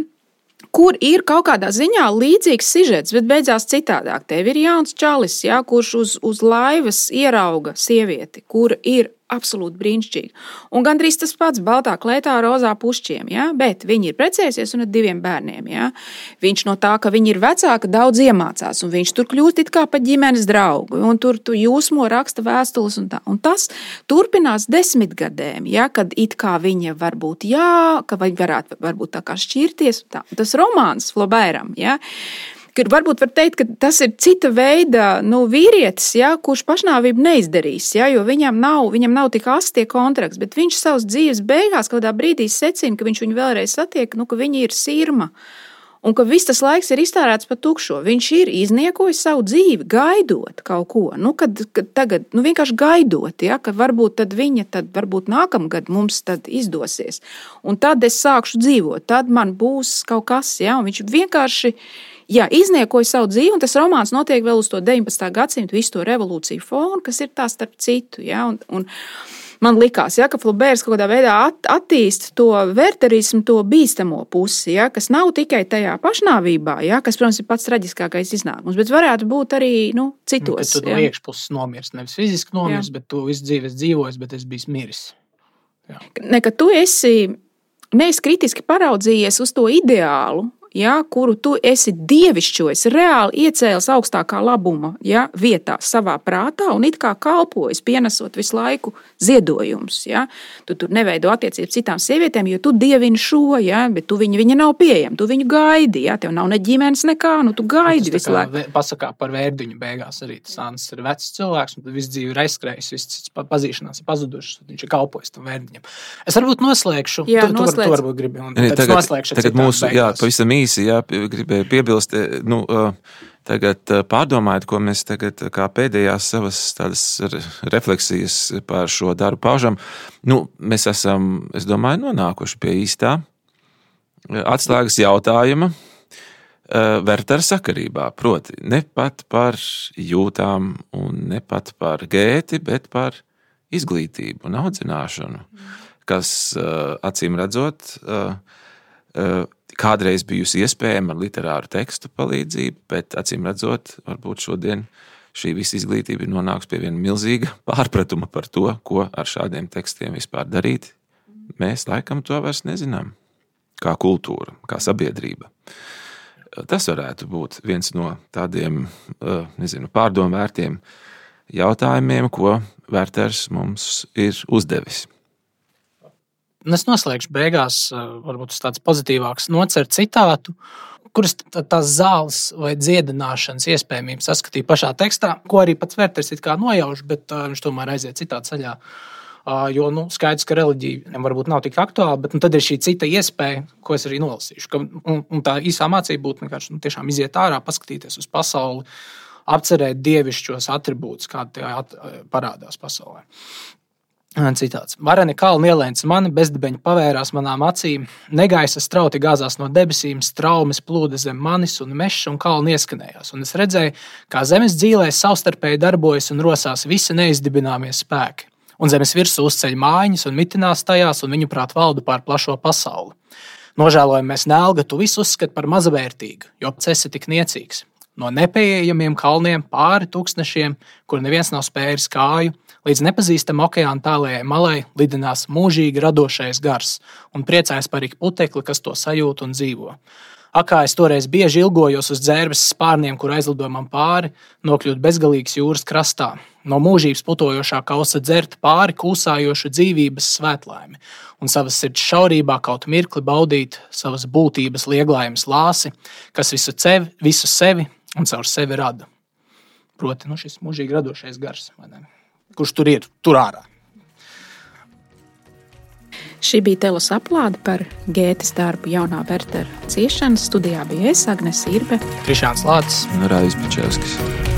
kur ir kaut kādā ziņā līdzīgs sižets, bet beidzās citādāk. Tev ir jauns čalis, ja, kurš uz laivas ierauga sievieti, kura ir absolūti brīnišķīgi. Un gandrīz tas pats baltā klētā rozā pušķiem, ja? Bet viņi ir precējusies un ar 2 bērniem. Ja? Viņš no tā, ka viņi ir vecāki, daudz iemācās, un viņš tur kļūst it kā pa ģimenes draugu, un tur tu jūsmo raksta vēstules un tā. Un tas turpinās 10 gadiem, ja? Kad it kā viņa varbūt ka viņi varbūt tā kā šķirties. Tā. Tas romāns Flaubertam, ja? Kur varbūt var teikt, ka tas ir cita veida vīrietis, ja, kurš pašnāvību neizdarīs, ja, jo viņam nav tik asti tie kontrakts, bet viņš savas dzīves beigās kādā brīdī secina, ka viņš viņu vēlreiz satiek, ka viņa ir sirma un ka viss tas laiks ir iztērēts pa tukšo. Viņš ir izniekojis savu dzīvi, gaidot kaut ko, kad tagad vienkārši gaidot, ja, ka varbūt tad viņa varbūt nākamgad mums tad izdosies. Un tad es sākšu dzīvot, tad man būs kaut kas, ja, un viņš vienkārši izniekoja savu dzīvi, un tas romāns notiek vēl uz to 19. gadsimtu, visu to revolūciju fonu, kas ir tā starp citu. Ja? Un man likās, ja, ka Flauberts kaut kādā veidā attīst to werterismu, to bīstamo pusi, ja? Kas nav tikai tajā pašnāvībā, ja? Kas, protams, ir pats traģiskākais iznākums, bet varētu būt arī citos. Tad tu iekšpuses nomirst, nevis fiziski nomirst, bet tu visu dzīvi esi dzīvojis, bet es biju miris. Jā. Ka tu neesi kritiski paraudzījies uz to ideālu, ja, kuru tu esi dievišķojis, reāli iecēlis augstākā labuma, ja, vietā savā prātā un it kā kalpojis, pienesot visu laiku ziedojumus. Ja. Tu tur neveido attiecības citām sievietēm, jo tu dievini šo, ja, bet viņa nav pieejama, tu viņu gaidi, ja, tev nav ne ģimenes nekā, tu gaidi visu laiku. Pasakā par Vērdiņu beigās arī tas Ants ir vecs cilvēks, un tad visu dzīvi ir aizskrējis, viss pazīšanās ir pazudušas, viņš ir kalpojis tam Vērdiņam. Es varbūt noslēgšu, tu varbūt gribi, un tad noslēgšu tagad mūsu, pavisam īsi, gribēju piebilst, tagad pārdomājot, ko mēs tagad kā pēdējās savas tādas refleksijas par šo darbu paužam, mēs esam, es domāju, nonākuši pie īstā atslēgas jautājuma Wertera sakarībā, proti ne pat par jūtām un ne pat par Gēti, bet par izglītību un audzināšanu, kas acīm redzot kādreiz bijusi iespējama ar literāru tekstu palīdzību, bet acīm redzot, varbūt šodien šī visa izglītība ir nonākusi pie viena milzīga pārpratuma par to, ko ar šādiem tekstiem vispār darīt. Mēs laikam to vairs nezinām, kā kultūra, kā sabiedrība. Tas varētu būt viens no tādiem, pārdomvērtiem jautājumiem, ko Werters mums ir uzdevis. Es noslēgšu beigās, varbūt tāds pozitīvāks nocer citātu, kuras tās zāles vai dziedināšanas iespējamības saskatīja pašā tekstā, ko arī pats Werters it kā nojauš, bet viņš tomēr aiziet citā ceļā. Jo skaidrs, ka reliģija varbūt nav tik aktuāla, bet tad ir šī cita iespēja, ko es arī nolasīšu. Un tā īsā mācība būtu vienkārši tiešām iziet ārā, paskatīties uz pasauli, apcerēt dievišķos atribūtus, kādi parādās pasaulē. Citāts. Vareni kalni ielēns mani, bezdibeņi pavērās manām acīm, negaisa strauti gāzās no debesīm, straumes plūda zem manis un mešs un kalni ieskanējās. Un es redzēju, kā zemes dzīlēs savstarpēji darbojas un rosās visi neizdibināmie spēki. Un zemes virsū uzceļ mājiņas un mitinās tajās un viņu prāt valda pār plašo pasauli. Nožēlojamies Nelga, tu visu uzskati par mazavērtīgu, jo pats esi tik niecīgs. No nepieejamiem kalniem pāri tūkstnešiem, kur neviens nav spēris kāju, Līdz nepazīstama okeāna tālējai malai lidinās mūžīgi radošais gars un priecājas par ik putekli, kas to sajūt un dzīvo. Akā es toreiz bieži ilgojos uz dzērbes spārniem, kur aizlidoja man pāri, nokļūt bezgalīgas jūras krastā. No mūžības putojošā kausa dzert pāri kūsājošu dzīvības svētlaimi un savas sirds šaurībā kaut mirkli baudīt savas būtības lieglaimes lāsi, kas visu sevi un caur sevi rada. Proti, šis mūžīgi radošais gars, kurš tur ir, tur ārā. Šī bija Telas aplāde par Gētes darbu Jaunā Wertera ciešana. Studijā bija es, Agnese Irbe, Krišāns Lācis un Raivis Pičevskis.